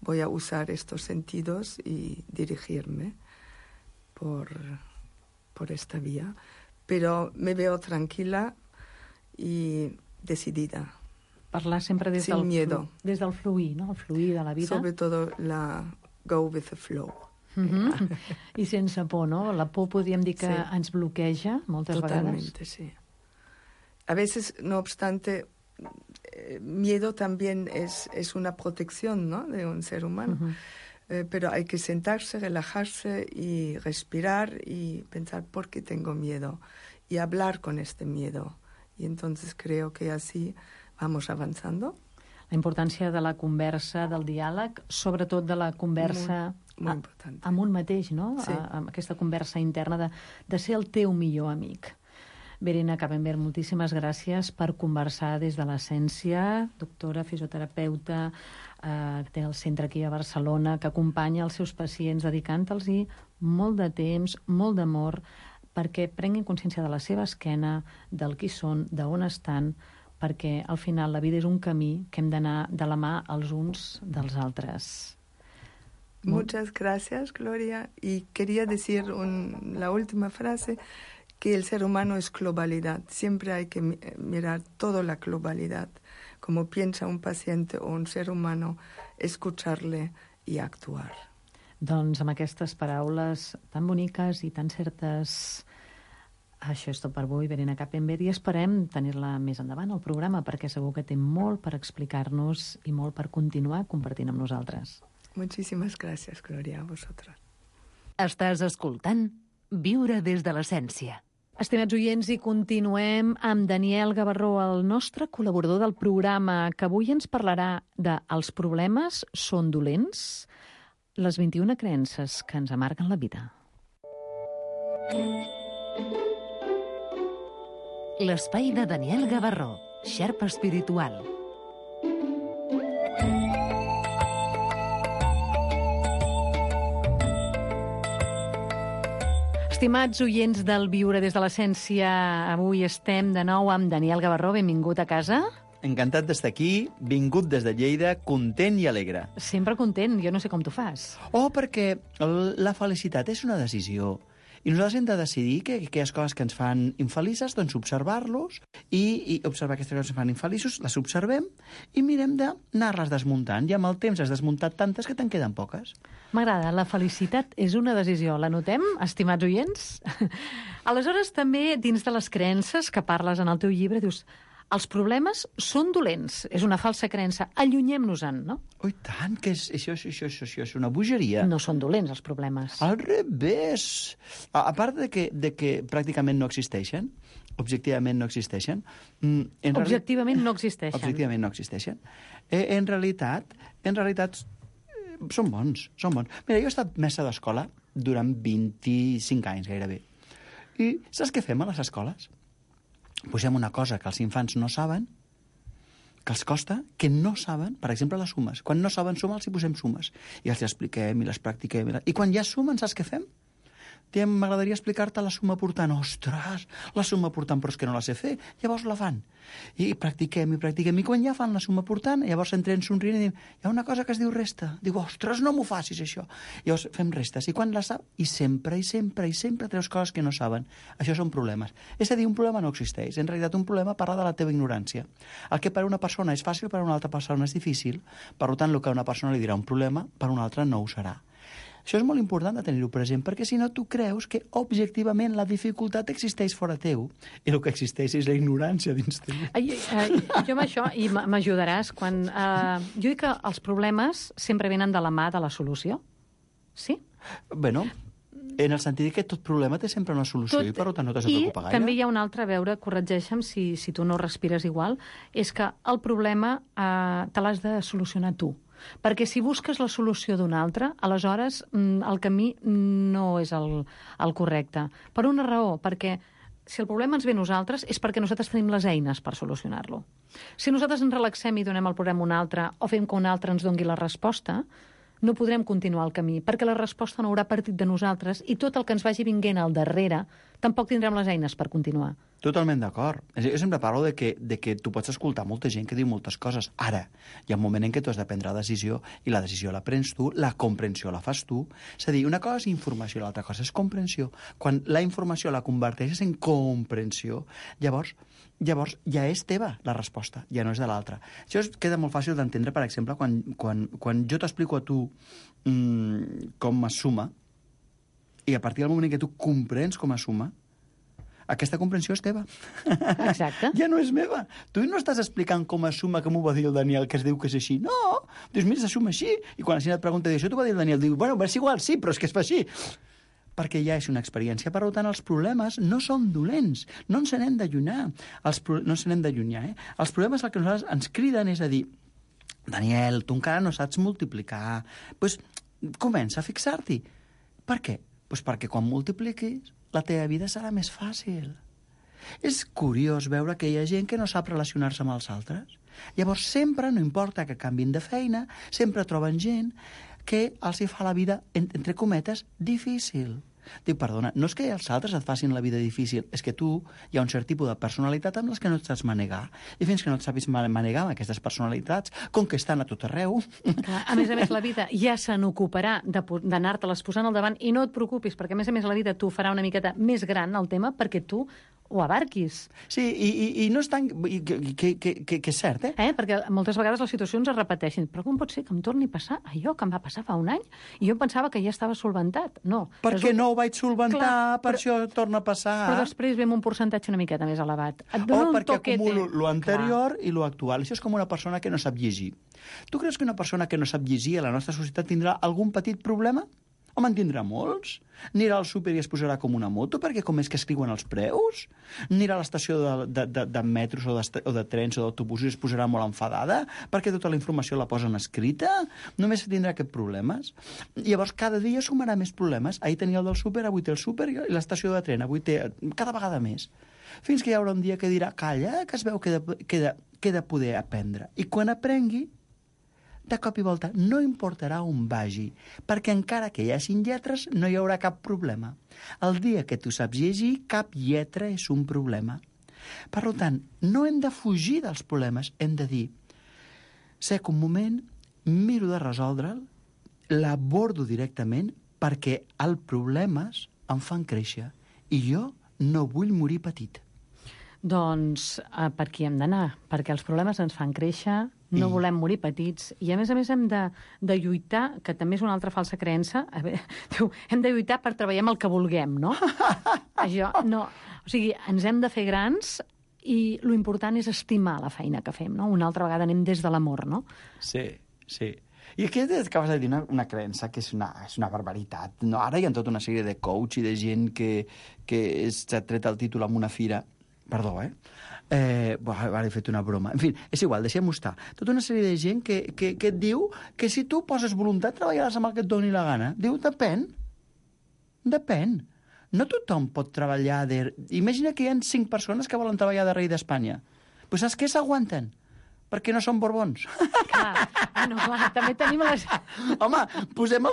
voy a usar estos sentidos y dirigirme por esta vía. Pero me veo tranquila y decidida. Parlar sempre des Sin miedo. Des del fluir, no? El fluir de la vida. Sobre todo la go with the flow. I sense por, no? La por podríem dir que ens bloqueja moltes vegades. Totalmente, sí. A veces, no obstante, miedo también es una protección, ¿no?, de un ser humano. Pero hay que sentarse, relajarse y respirar y pensar por qué tengo miedo y hablar con este miedo. Y entonces creo que así vamos avanzando. La importància de la conversa, del diàleg, sobretot de la conversa amb un mateix, no? Sí. Amb aquesta conversa interna de ser el teu millor amic. Verena Capenger, moltíssimes gràcies per conversar des de l'essència, doctora, fisioterapeuta, té el centre aquí a Barcelona, que acompanya els seus pacients dedicant-los molt de temps, molt d'amor, perquè prenguin consciència de la seva esquena, del qui són, d'on estan, perquè al final la vida és un camí que hem d'anar de la mà els uns dels altres. Muchas gracias, Gloria. Y quería decir la última frase, que el ser humano es globalidad. Siempre hay que mirar toda la globalidad. Como piensa un paciente o un ser humano, escucharle y actuar. Doncs amb aquestes paraules tan boniques i tan certes, això és tot per avui, Verena Capenger, i esperem tenir-la més endavant al programa, perquè segur que té molt per explicar-nos i molt per continuar compartint amb nosaltres. Muchísimas gracias, Gloria, a vosotros. Estàs escoltant Viure des de l'essència. Estimats oients, i continuem amb Daniel Gavarró, el nostre col·laborador del programa, que avui ens parlarà de els problemes són dolents, les 21 creences que ens amarguen la vida. L'espai de Daniel Gavarró, xerpa espiritual. Estimats oients del Viure des de l'Essència, avui estem de nou amb Daniel Gavarró. Benvingut a casa. Encantat d'estar aquí, vingut des de Lleida, content i alegre. Sempre content, jo no sé com t'ho fas. Perquè la felicitat és una decisió. I nosaltres hem de decidir que aquelles coses que ens fan infelices, doncs observar-los i observar aquestes coses que ens fan infeliços, les observem i mirem d'anar-les desmuntant. I amb el temps has desmuntat tantes que te'n queden poques. M'agrada, la felicitat és una decisió. La notem, estimats oients? Aleshores, també, dins de les creences que parles en el teu llibre, dius, els problemes són dolents. És una falsa creença. Allunyem-nos-en, no? Oh, tant, que això és una bogeria. No són dolents, els problemes. Al revés. A part de que pràcticament no existeixen, objectivament no existeixen. Objectivament no existeixen. Objectivament no existeixen. En realitat, són bons, són bons. Mira, jo he estat mestre d'escola durant 25 anys, gairebé. I saps què fem a les escoles? Posem una cosa que els infants no saben, que els costa, que no saben, per exemple, les sumes. Quan no saben sumar, els hi posem sumes. I els expliquem i les practiquem. I quan ja sumen, saps què fem? M'agradaria explicar-te la suma portant. Ostres, la suma portant, però és que no la sé fer. Llavors la fan. I practiquem. I quan ja fan la suma portant, llavors entrem somrient i diem, hi ha una cosa que es diu resta. Diu, ostres, no m'ho facis, això. Llavors fem restes. I quan la sap, i sempre treus coses que no saben. Això són problemes. És a dir, un problema no existeix. En realitat, un problema parla de la teva ignorància. El que per a una persona és fàcil, per a una altra persona és difícil. Per tant, el que a una persona li dirà un problema, per a una altra no ho serà. Això és molt important de tenir-ho present, perquè si no tu creus que objectivament la dificultat existeix fora teu i el que existeix és la ignorància dins teu. Jo amb això, i m'ajudaràs, quan jo dic que els problemes sempre venen de la mà de la solució. Sí? Bueno, en el sentit que tot problema té sempre una solució i per tant no t'has de preocupar gaire. I també hi ha una altra, a veure, corregeixa'm si tu no respires igual, és que el problema te l'has de solucionar tu. Perquè si busques la solució d'un altre, aleshores el camí no és el correcte. Per una raó, perquè si el problema ens ve a nosaltres és perquè nosaltres tenim les eines per solucionar-lo. Si nosaltres ens relaxem i donem el problema a un altre o fem que un altre ens doni la resposta, no podrem continuar el camí, perquè la resposta no haurà partit de nosaltres i tot el que ens vagi vinguent al darrere tampoc tindrem les eines per continuar. Totalment d'acord. Jo sempre parlo de que tu pots escoltar molta gent que diu moltes coses. Ara, hi ha un moment en què tu has de prendre la decisió i la decisió la prens tu, la comprensió la fas tu. És a dir, una cosa és informació, l'altra cosa és comprensió. Quan la informació la converteixes en comprensió, llavors ja és teva la resposta, ja no és de l'altra. Això queda molt fàcil d'entendre, per exemple, quan jo t'explico a tu com es suma, i a partir del moment en què tu comprens com es suma, aquesta comprensió és teva. Exacte. Ja no és meva. Tu no estàs explicant com es suma, que m'ho va dir el Daniel, que es diu que és així. No! Dius, mira, se suma així. I quan la gent et pregunta, això t'ho va dir el Daniel, diu, bueno, és igual, sí, però és que es fa així. Perquè ja és una experiència. Per tant, els problemes no són dolents. No ens n'hem d'allunyar. No ens n'hem d'allunyar, Els problemes el que nosaltres ens criden és a dir, Daniel, tu encara no saps multiplicar. Doncs comença a fixar-t'hi. Per què? Doncs perquè quan multipliquis, la teva vida serà més fàcil. És curiós veure que hi ha gent que no sap relacionar-se amb els altres. Llavors sempre, no importa que canvin de feina, sempre troben gent que els hi fa la vida, entre cometes, difícil. Dic, perdona, no és que els altres et facin la vida difícil, és que tu hi ha un cert tipus de personalitat amb les que no et saps manegar. I fins que no et saps manegar amb aquestes personalitats, com que estan a tot arreu... Clar, a més, la vida ja se n'ocuparà d'anar-te-les posant al davant i no et preocupis, perquè a més la vida t'ho farà una miqueta més gran el tema perquè tu ho abarquis. Sí, i no és tan... que és cert, Perquè moltes vegades les situacions es repeteixen. Però com pot ser que em torni a passar allò que em va passar fa un any? I jo pensava que ja estava solventat. No. Perquè no ho vaig solventar, per això torna a passar. Però després ve amb un percentatge una miqueta més elevat. Perquè acumulo lo anterior i lo actual. Això és com una persona que no sap llegir. Tu creus que una persona que no sap llegir a la nostra societat tindrà algun petit problema? Home, en tindrà molts? Anirà al súper i es posarà com una moto perquè com és que escriuen els preus? Anirà a l'estació de metros o de trens o d'autobusos i es posarà molt enfadada perquè tota la informació la posen escrita? Només tindrà aquests problemes. Llavors, cada dia sumarà més problemes. Ahir tenia el del súper, avui té el súper i l'estació de tren, avui té cada vegada més. Fins que hi haurà un dia que dirà, calla, que es veu que he de poder aprendre. I quan aprengui, de cop i volta, no importarà on vagi, perquè encara que hi hagin lletres, no hi haurà cap problema. El dia que tu saps llegir, cap lletra és un problema. Per tant, no hem de fugir dels problemes, hem de dir, sec un moment, miro de resoldre'l, l'abordo directament, perquè els problemes em fan créixer, i jo no vull morir petit. Doncs per aquí hem d'anar, perquè els problemes ens fan créixer, no volem morir petits, i a més hem de lluitar, que també és una altra falsa creença, hem de lluitar per treballar amb el que vulguem, no? Això, no. O sigui, ens hem de fer grans i lo important és estimar la feina que fem, no? Una altra vegada anem des de l'amor, no? Sí. I aquí acabes de dir una creença que és una barbaritat. No? Ara hi ha tota una sèrie de coach i de gent que s'ha tret el títol en una fira. Perdó, ara he fet una broma. En fi, és igual, deixem-ho estar. Tota una sèrie de gent que et diu que si tu poses voluntat treballaràs amb el que et doni la gana. Diu, depèn. No tothom pot treballar... Imagina que hi ha 5 persones que volen treballar de rei d'Espanya. Pues saps què? S'aguanten. Perquè no són borbons. Clar, també tenim les... Home, posem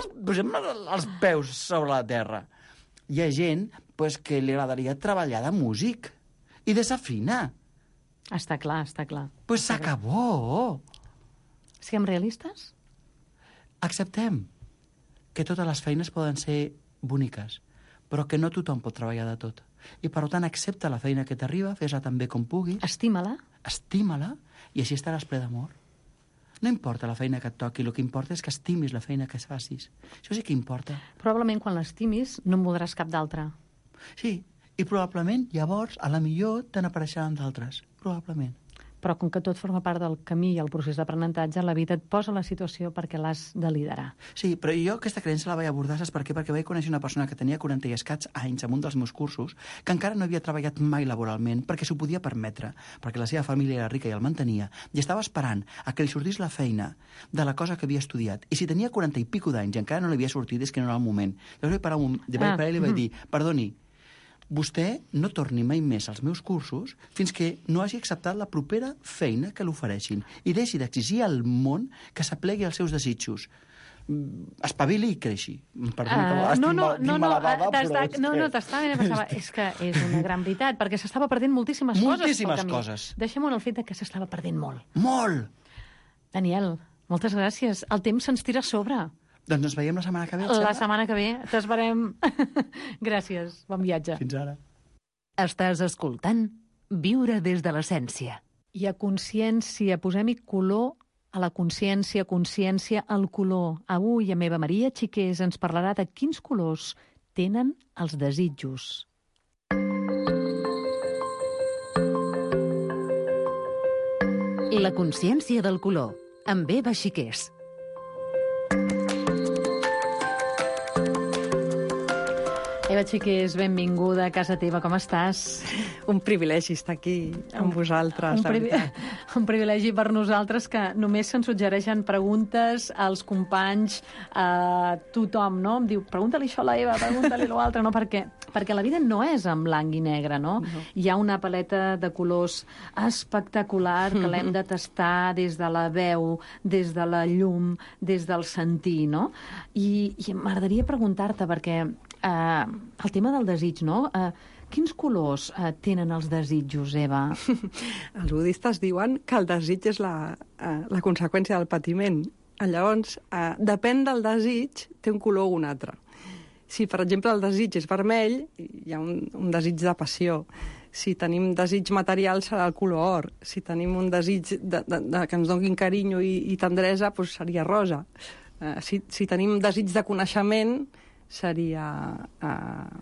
els peus sobre la terra. Hi ha gent que li agradaria treballar de músic i desafinar. Està clar. Pues s'acabó. Siguem realistes? Acceptem que totes les feines poden ser boniques, però que no tothom pot treballar de tot. I, per tant, accepta la feina que t'arriba, fes-la tan bé com puguis. Estima-la, i així estaràs ple d'amor. No importa la feina que et toqui, el que importa és que estimis la feina que facis. Això sí que importa. Probablement, quan l'estimis, no en voldràs cap d'altra. Sí, i probablement, llavors, a la millor te n'apareixeran d'altres. Probablement. Però com que tot forma part del camí i el procés d'aprenentatge, la vida et posa la situació perquè l'has de liderar. Sí, però jo aquesta creença la vaig abordar, saps per què? Perquè vaig conèixer una persona que tenia 40 i escaig anys en un dels meus cursos, que encara no havia treballat mai laboralment perquè s'ho podia permetre, perquè la seva família era rica i el mantenia, i estava esperant a que li sortís la feina de la cosa que havia estudiat. I si tenia 40 i pico d'anys i encara no li havia sortit, és que no era el moment. Llavors vaig parar ell i vaig dir, perdoni, vostè no torni mai més als meus cursos fins que no hagi acceptat la propera feina que l'ofereixin i deixi d'exigir al món que s'aplegui als seus desitjos. Espavili i creixi. No, t'estava ben pensava. És que és una gran veritat, perquè s'estava perdent moltíssimes coses. Deixem-ho en el fet que s'estava perdent molt. Molt! Daniel, moltes gràcies. El temps se'ns tira a sobre. Doncs ens veiem la setmana que ve. La setmana que ve. T'esperem. Gràcies. Bon viatge. Fins ara. Estàs escoltant Viure des de l'essència. I a consciència, posem-hi color a la consciència, al color. Avui, a Meva Maria Xiqués ens parlarà de quins colors tenen els desitjos. La consciència del color, amb Eva Xiqués. Eva Xiqués, benvinguda a casa teva, com estàs? Un privilegi estar aquí amb vosaltres, la veritat. Un privilegi per nosaltres que només se'ns suggereixen preguntes als companys, a tothom, no? Em diu, pregunta-li això a la Eva, pregunta-li l'altre, no? Perquè la vida no és en blanc i negre, no? Hi ha una paleta de colors espectacular que l'hem de tastar des de la veu, des de la llum, des del sentir, no? I m'agradaria preguntar-te, perquè el tema del desig, no? Quins colors tenen els desitjos, Eva? Els budistes diuen que el desig és la conseqüència del patiment. Llavors, depèn del desig, té un color o un altre. Si, per exemple, el desig és vermell, hi ha un desig de passió. Si tenim desig material, serà el color or. Si tenim un desig que ens donin carinyo i tendresa, doncs seria rosa. Si tenim desig de coneixement, seria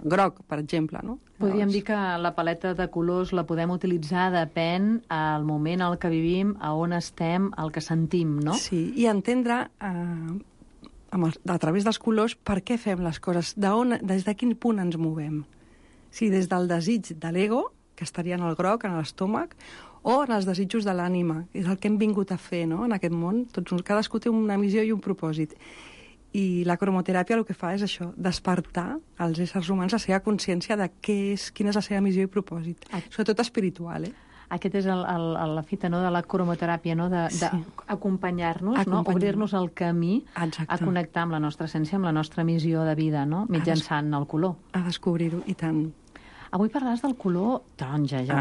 groc, per exemple, no? Podríem dir que la paleta de colors la podem utilitzar, depèn al moment al que vivim, a on estem, el que sentim, no? Sí, i entendre a través dels colors, per què fem les coses, des de quin punt ens movem. Si des del desig de l'ego, que estaria en el groc, en l'estómac, o en els desitjos de l'ànima, és el que hem vingut a fer, no?, en aquest món. Cadascú té una missió i un propòsit. I la cromoteràpia el que fa és això, despertar als éssers humans la seva consciència de quina és la seva missió i propòsit. Sobretot espiritual, Aquest és la fita, no?, de la cromoteràpia, no?, d'acompanyar-nos, no?, obrir-nos el camí a connectar amb la nostra essència, amb la nostra missió de vida, no?, mitjançant el color. A descobrir-ho, i tant. Avui parlaràs del color taronja. Ja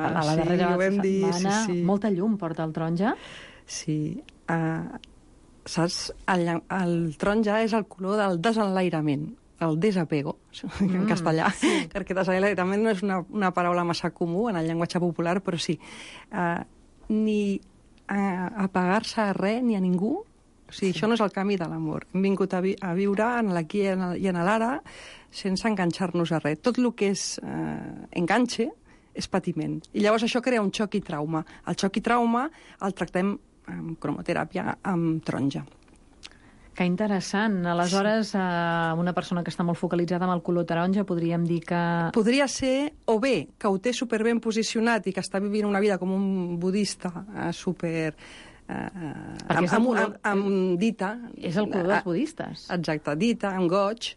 a la darrera setmana, molta llum porta el taronja. Sí. Saps? El taronja és el color del desenlairament, el desapego, en castellà, perquè desenlairament no és una paraula massa comú en el llenguatge popular, però sí. Ni apagar-se a res ni a ningú, o sigui, això no és el camí de l'amor. Hem vingut a viure en l'aquí i en l'ara sense enganxar-nos a res. Tot el que és enganxe és patiment. I llavors això crea un xoc i trauma. El xoc i trauma el tractem amb cromoteràpia, amb taronja. Que interessant. Aleshores, una persona que està molt focalitzada amb el color taronja, podríem dir que... Podria ser, o bé, que ho té superben posicionat i que està vivint una vida com un budista super... amb dita. És el color dels budistes. Exacte, dita, amb goig,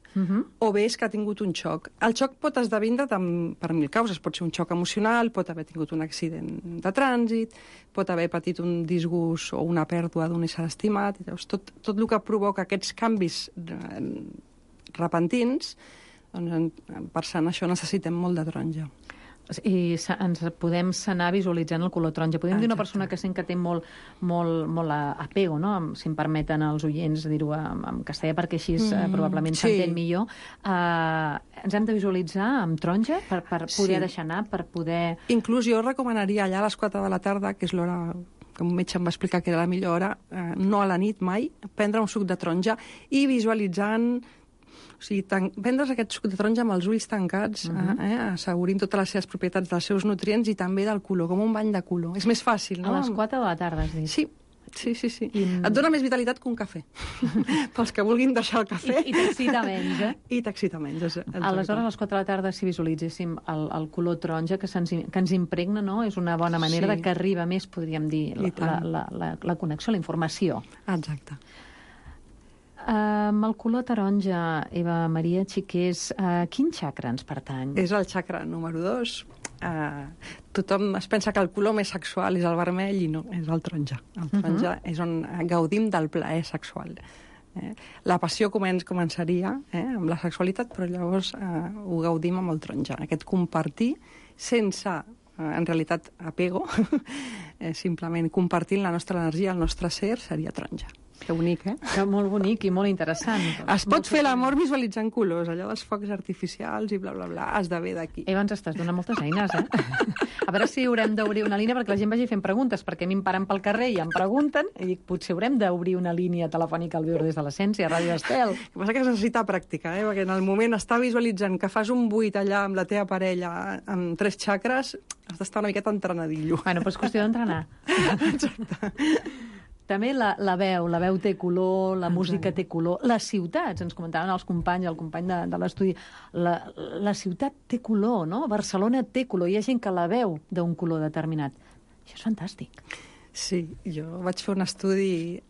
o bé és que ha tingut un xoc. El xoc pot esdevindre per 1000 causes. Pot ser un xoc emocional, pot haver tingut un accident de trànsit, pot haver patit un disgust o una pèrdua d'un ésser estimat. Tot el que provoca aquests canvis repentins, doncs, per sanar això necessitem molt de taronja. I ens podem sanar visualitzant el color taronja. Podem dir una persona que sent que té molt apego, no?, si em permeten els oients dir-ho en castellà, perquè així probablement s'entén millor. Ens hem de visualitzar amb taronja per poder deixar anar, per poder... Inclús jo recomanaria allà a les 4 de la tarda, que és l'hora que un metge em va explicar que era la millor hora, no a la nit mai, prendre un suc de taronja i visualitzant... O sigui, prendre's aquest suc de taronja amb els ulls tancats, assegurint totes les seves propietats dels seus nutrients i també del color, com un bany de color. És més fàcil, no? A les 4 de la tarda, has dit. Sí. Et dona més vitalitat que un cafè. Pels que vulguin deixar el cafè. I t'excita menys, I t'excita menys. Aleshores, a les 4 de la tarda, si visualitzéssim el color taronja que ens impregna, no?, és una bona manera de que arriba més, podríem dir, la connexió, la informació. Exacte. Amb el color taronja, Eva Maria Xiqués, quin xacra ens pertany? És el xacra número 2. Tothom es pensa que el color més sexual és el vermell i no, és el taronja. El taronja és on gaudim del plaer sexual. La passió començaria amb la sexualitat, però llavors ho gaudim amb el taronja. Aquest compartir sense, en realitat, apego, simplement compartint la nostra energia, el nostre ser, seria taronja. Que bonic, Que molt bonic i molt interessant. Es pot fer l'amor visualitzant colors, allò dels focs artificials i bla, bla, bla, esdevé d'aquí. Eva, ens estàs donant moltes eines, A veure si haurem d'obrir una línia perquè la gent vagi fent preguntes, perquè a mi em paren pel carrer i em pregunten, i dic, potser haurem d'obrir una línia telefònica al Viure des de l'Essència, a Ràdio Estel. El que passa que es necessita pràctica, perquè en el moment està visualitzant que fas un buit allà amb la teva parella amb 3 xacres, has d'estar una miqueta entrenadillo. Bueno, però és qüestió d'entrenar. Exacte. També la veu té color, la música té color, les ciutats, ens comentaven els companys, el company de l'estudi, la ciutat té color, no? Barcelona té color, hi ha gent que la veu d'un color determinat. Això és fantàstic. Sí, jo vaig fer un estudi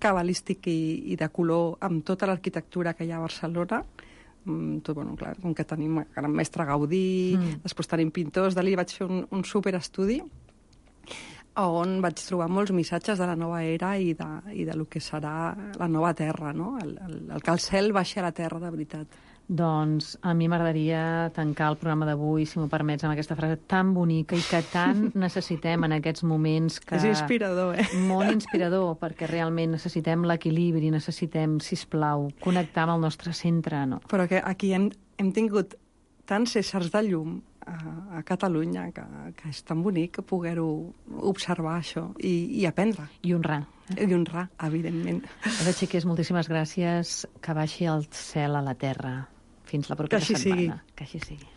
cabalístic i de color amb tota l'arquitectura que hi ha a Barcelona. Bueno, clar, com que tenim el gran mestre Gaudí, després tenim pintors, Dalí, vaig fer un superestudi on vaig trobar molts missatges de la nova era i de lo que serà la nova terra, no? El que el cel baixi a la terra de veritat. Doncs a mi m'agradaria tancar el programa d'avui, si m'ho permets, amb aquesta frase tan bonica i que tant necessitem en aquests moments. Que... És inspirador, Molt inspirador, perquè realment necessitem l'equilibri, necessitem, sisplau, connectar amb el nostre centre. No? Però que aquí hem tingut tants éssers de llum a Catalunya, que és tan bonic poder-ho observar, això, i aprendre. I honrar. I honrar, evidentment. Eva Xiqués, moltíssimes gràcies. Que baixi el cel a la terra. Fins la propera setmana. Que així sigui.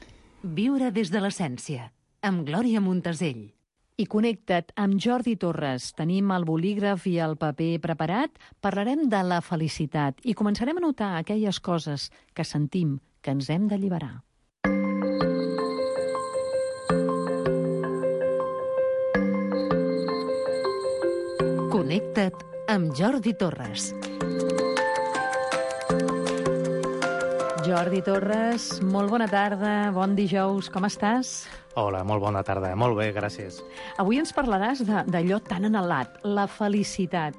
Viure des de l'essència, amb Glòria Montesell. I connecta't amb Jordi Torres. Tenim el bolígraf i el paper preparat. Parlarem de la felicitat i començarem a notar aquelles coses que sentim que ens hem d'alliberar. Connecta't amb Jordi Torres. Jordi Torres, molt bona tarda, bon dijous, com estàs? Hola, molt bona tarda, molt bé, gràcies. Avui ens parlaràs d'allò tan anhelat, la felicitat.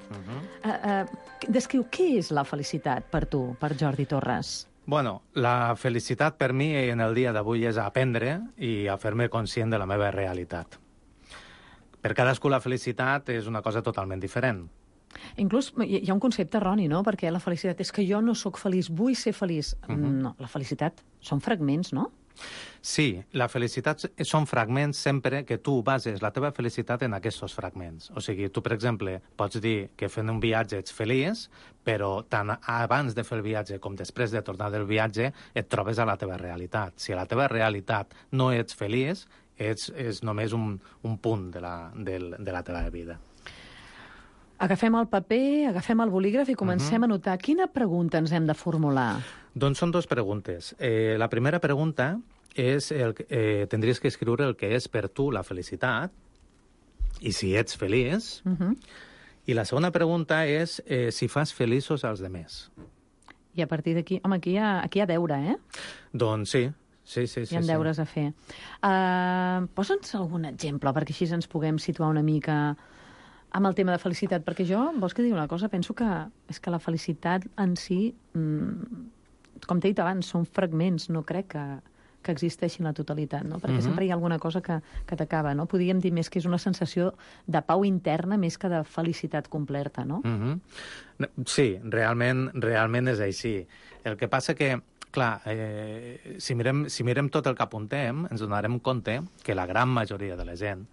Descriu, què és la felicitat per tu, per Jordi Torres? Bueno, la felicitat per mi en el dia d'avui és aprendre i a fer-me conscient de la meva realitat. Per cadascú la felicitat és una cosa totalment diferent. Inclús hi ha un concepte erroni, no? Perquè la felicitat és que jo no sóc feliç, vull ser feliç. No, la felicitat són fragments, no? Sí, la felicitat són fragments sempre que tu bases la teva felicitat en aquests fragments. O sigui, tu, per exemple, pots dir que fent un viatge ets feliç, però tant abans de fer el viatge com després de tornar del viatge et trobes a la teva realitat. Si a la teva realitat no ets feliç, és només un punt de la teva vida. Agafem el paper, agafem el bolígraf i comencem a notar. Quina pregunta ens hem de formular? Doncs són dues preguntes. La primera pregunta és tindries que escriure el que és per tu la felicitat i si ets feliç. I la segona pregunta és si fas feliços als demés. I a partir d'aquí... Home, aquí hi ha deure, eh? Doncs sí. Sí. Hi ha deures a fer. Posa'ns algun exemple perquè així ens puguem situar una mica amb el tema de felicitat, perquè jo, vols que digui una cosa, penso que és que la felicitat en si, com t'he dit abans, són fragments, no crec que existeixi la totalitat, no? Perquè sempre hi ha alguna cosa que t'acaba, no? Podríem dir més que és una sensació de pau interna més que de felicitat completa, no? Sí, realment és així. El que passa que clar, si mirem tot el que apuntem, ens donarem compte que la gran majoria de la gent,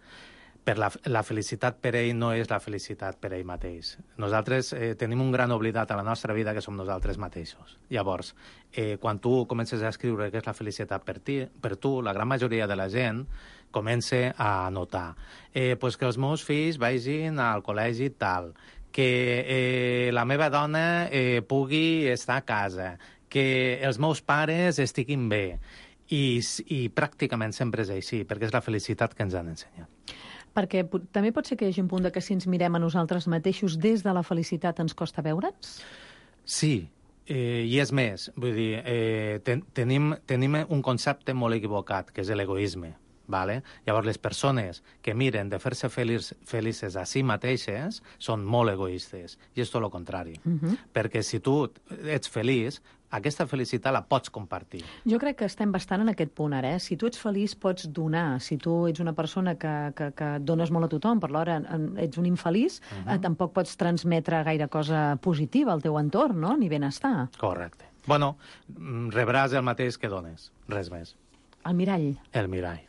la felicitat per ell no és la felicitat per ell mateix. Nosaltres tenim un gran oblidat a la nostra vida que som nosaltres mateixos. Llavors, quan tu comences a escriure què és la felicitat per tu, la gran majoria de la gent comença a notar pues que els meus fills vagin al col·legi tal, que la meva dona pugui estar a casa, que els meus pares estiguin bé. I pràcticament sempre és així, perquè és la felicitat que ens han ensenyat. Perquè també pot ser que hi hagi un punt que si ens mirem a nosaltres mateixos des de la felicitat ens costa veure'ns? Sí, i és més. Vull dir, tenim un concepte molt equivocat, que és l'egoisme. Vale? Llavors, les persones que miren de fer-se felices a si mateixes són molt egoistes. I és tot el contrari. Perquè si tu ets feliç, aquesta felicitat la pots compartir. Jo crec que estem bastant en aquest punt ara. Si tu ets feliç, pots donar. Si tu ets una persona que dones molt a tothom, per l'hora ets un infeliç, tampoc pots transmetre gaire cosa positiva al teu entorn, no? Ni benestar. Correcte. Bueno, rebràs el mateix que dones. Res més. El mirall. El mirall.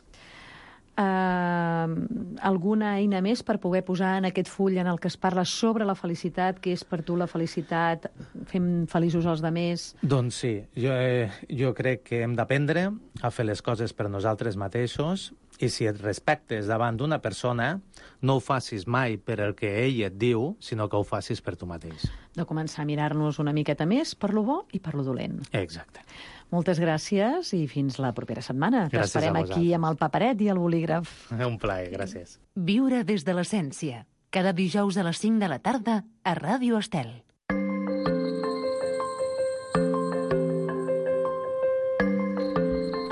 Alguna eina més per poder posar en aquest full en el que es parla sobre la felicitat, què és per tu la felicitat, fem feliços els demés? Doncs sí, jo crec que hem d'aprendre a fer les coses per nosaltres mateixos i si et respectes davant d'una persona, no ho facis mai per el que ell et diu, sinó que ho facis per tu mateix. De començar a mirar-nos una miqueta més per lo bo i per lo dolent. Exacte. Moltes gràcies i fins la propera setmana. T'esperem aquí amb el paperet i el bolígraf. Un plaer, gràcies. Viure des de l'essència. Cada dijous a les 5 de la tarda a Ràdio Estel.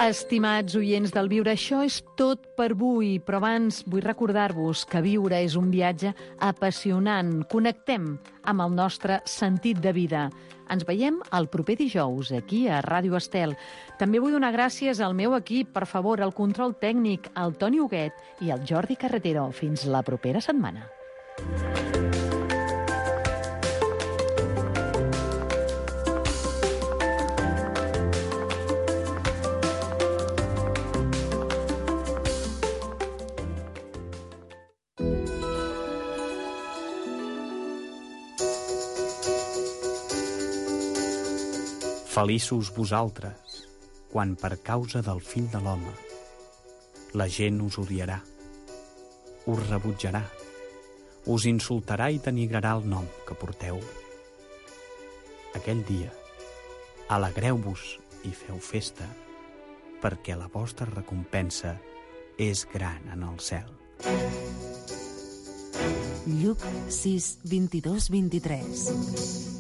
Estimats oients del Viure, això és tot per avui, però abans vull recordar-vos que viure és un viatge apassionant. Connectem amb el nostre sentit de vida. Ens veiem el proper dijous, aquí a Ràdio Estel. També vull donar gràcies al meu equip, per favor, al control tècnic, al Toni Huguet i al Jordi Carretero. Fins la propera setmana. Feliços vosaltres, quan per causa del fill de l'home la gent us odiarà, us rebutjarà, us insultarà i denigrarà el nom que porteu. Aquell dia, alegreu-vos i feu festa, perquè la vostra recompensa és gran en el cel. Lluc 6, 22-23.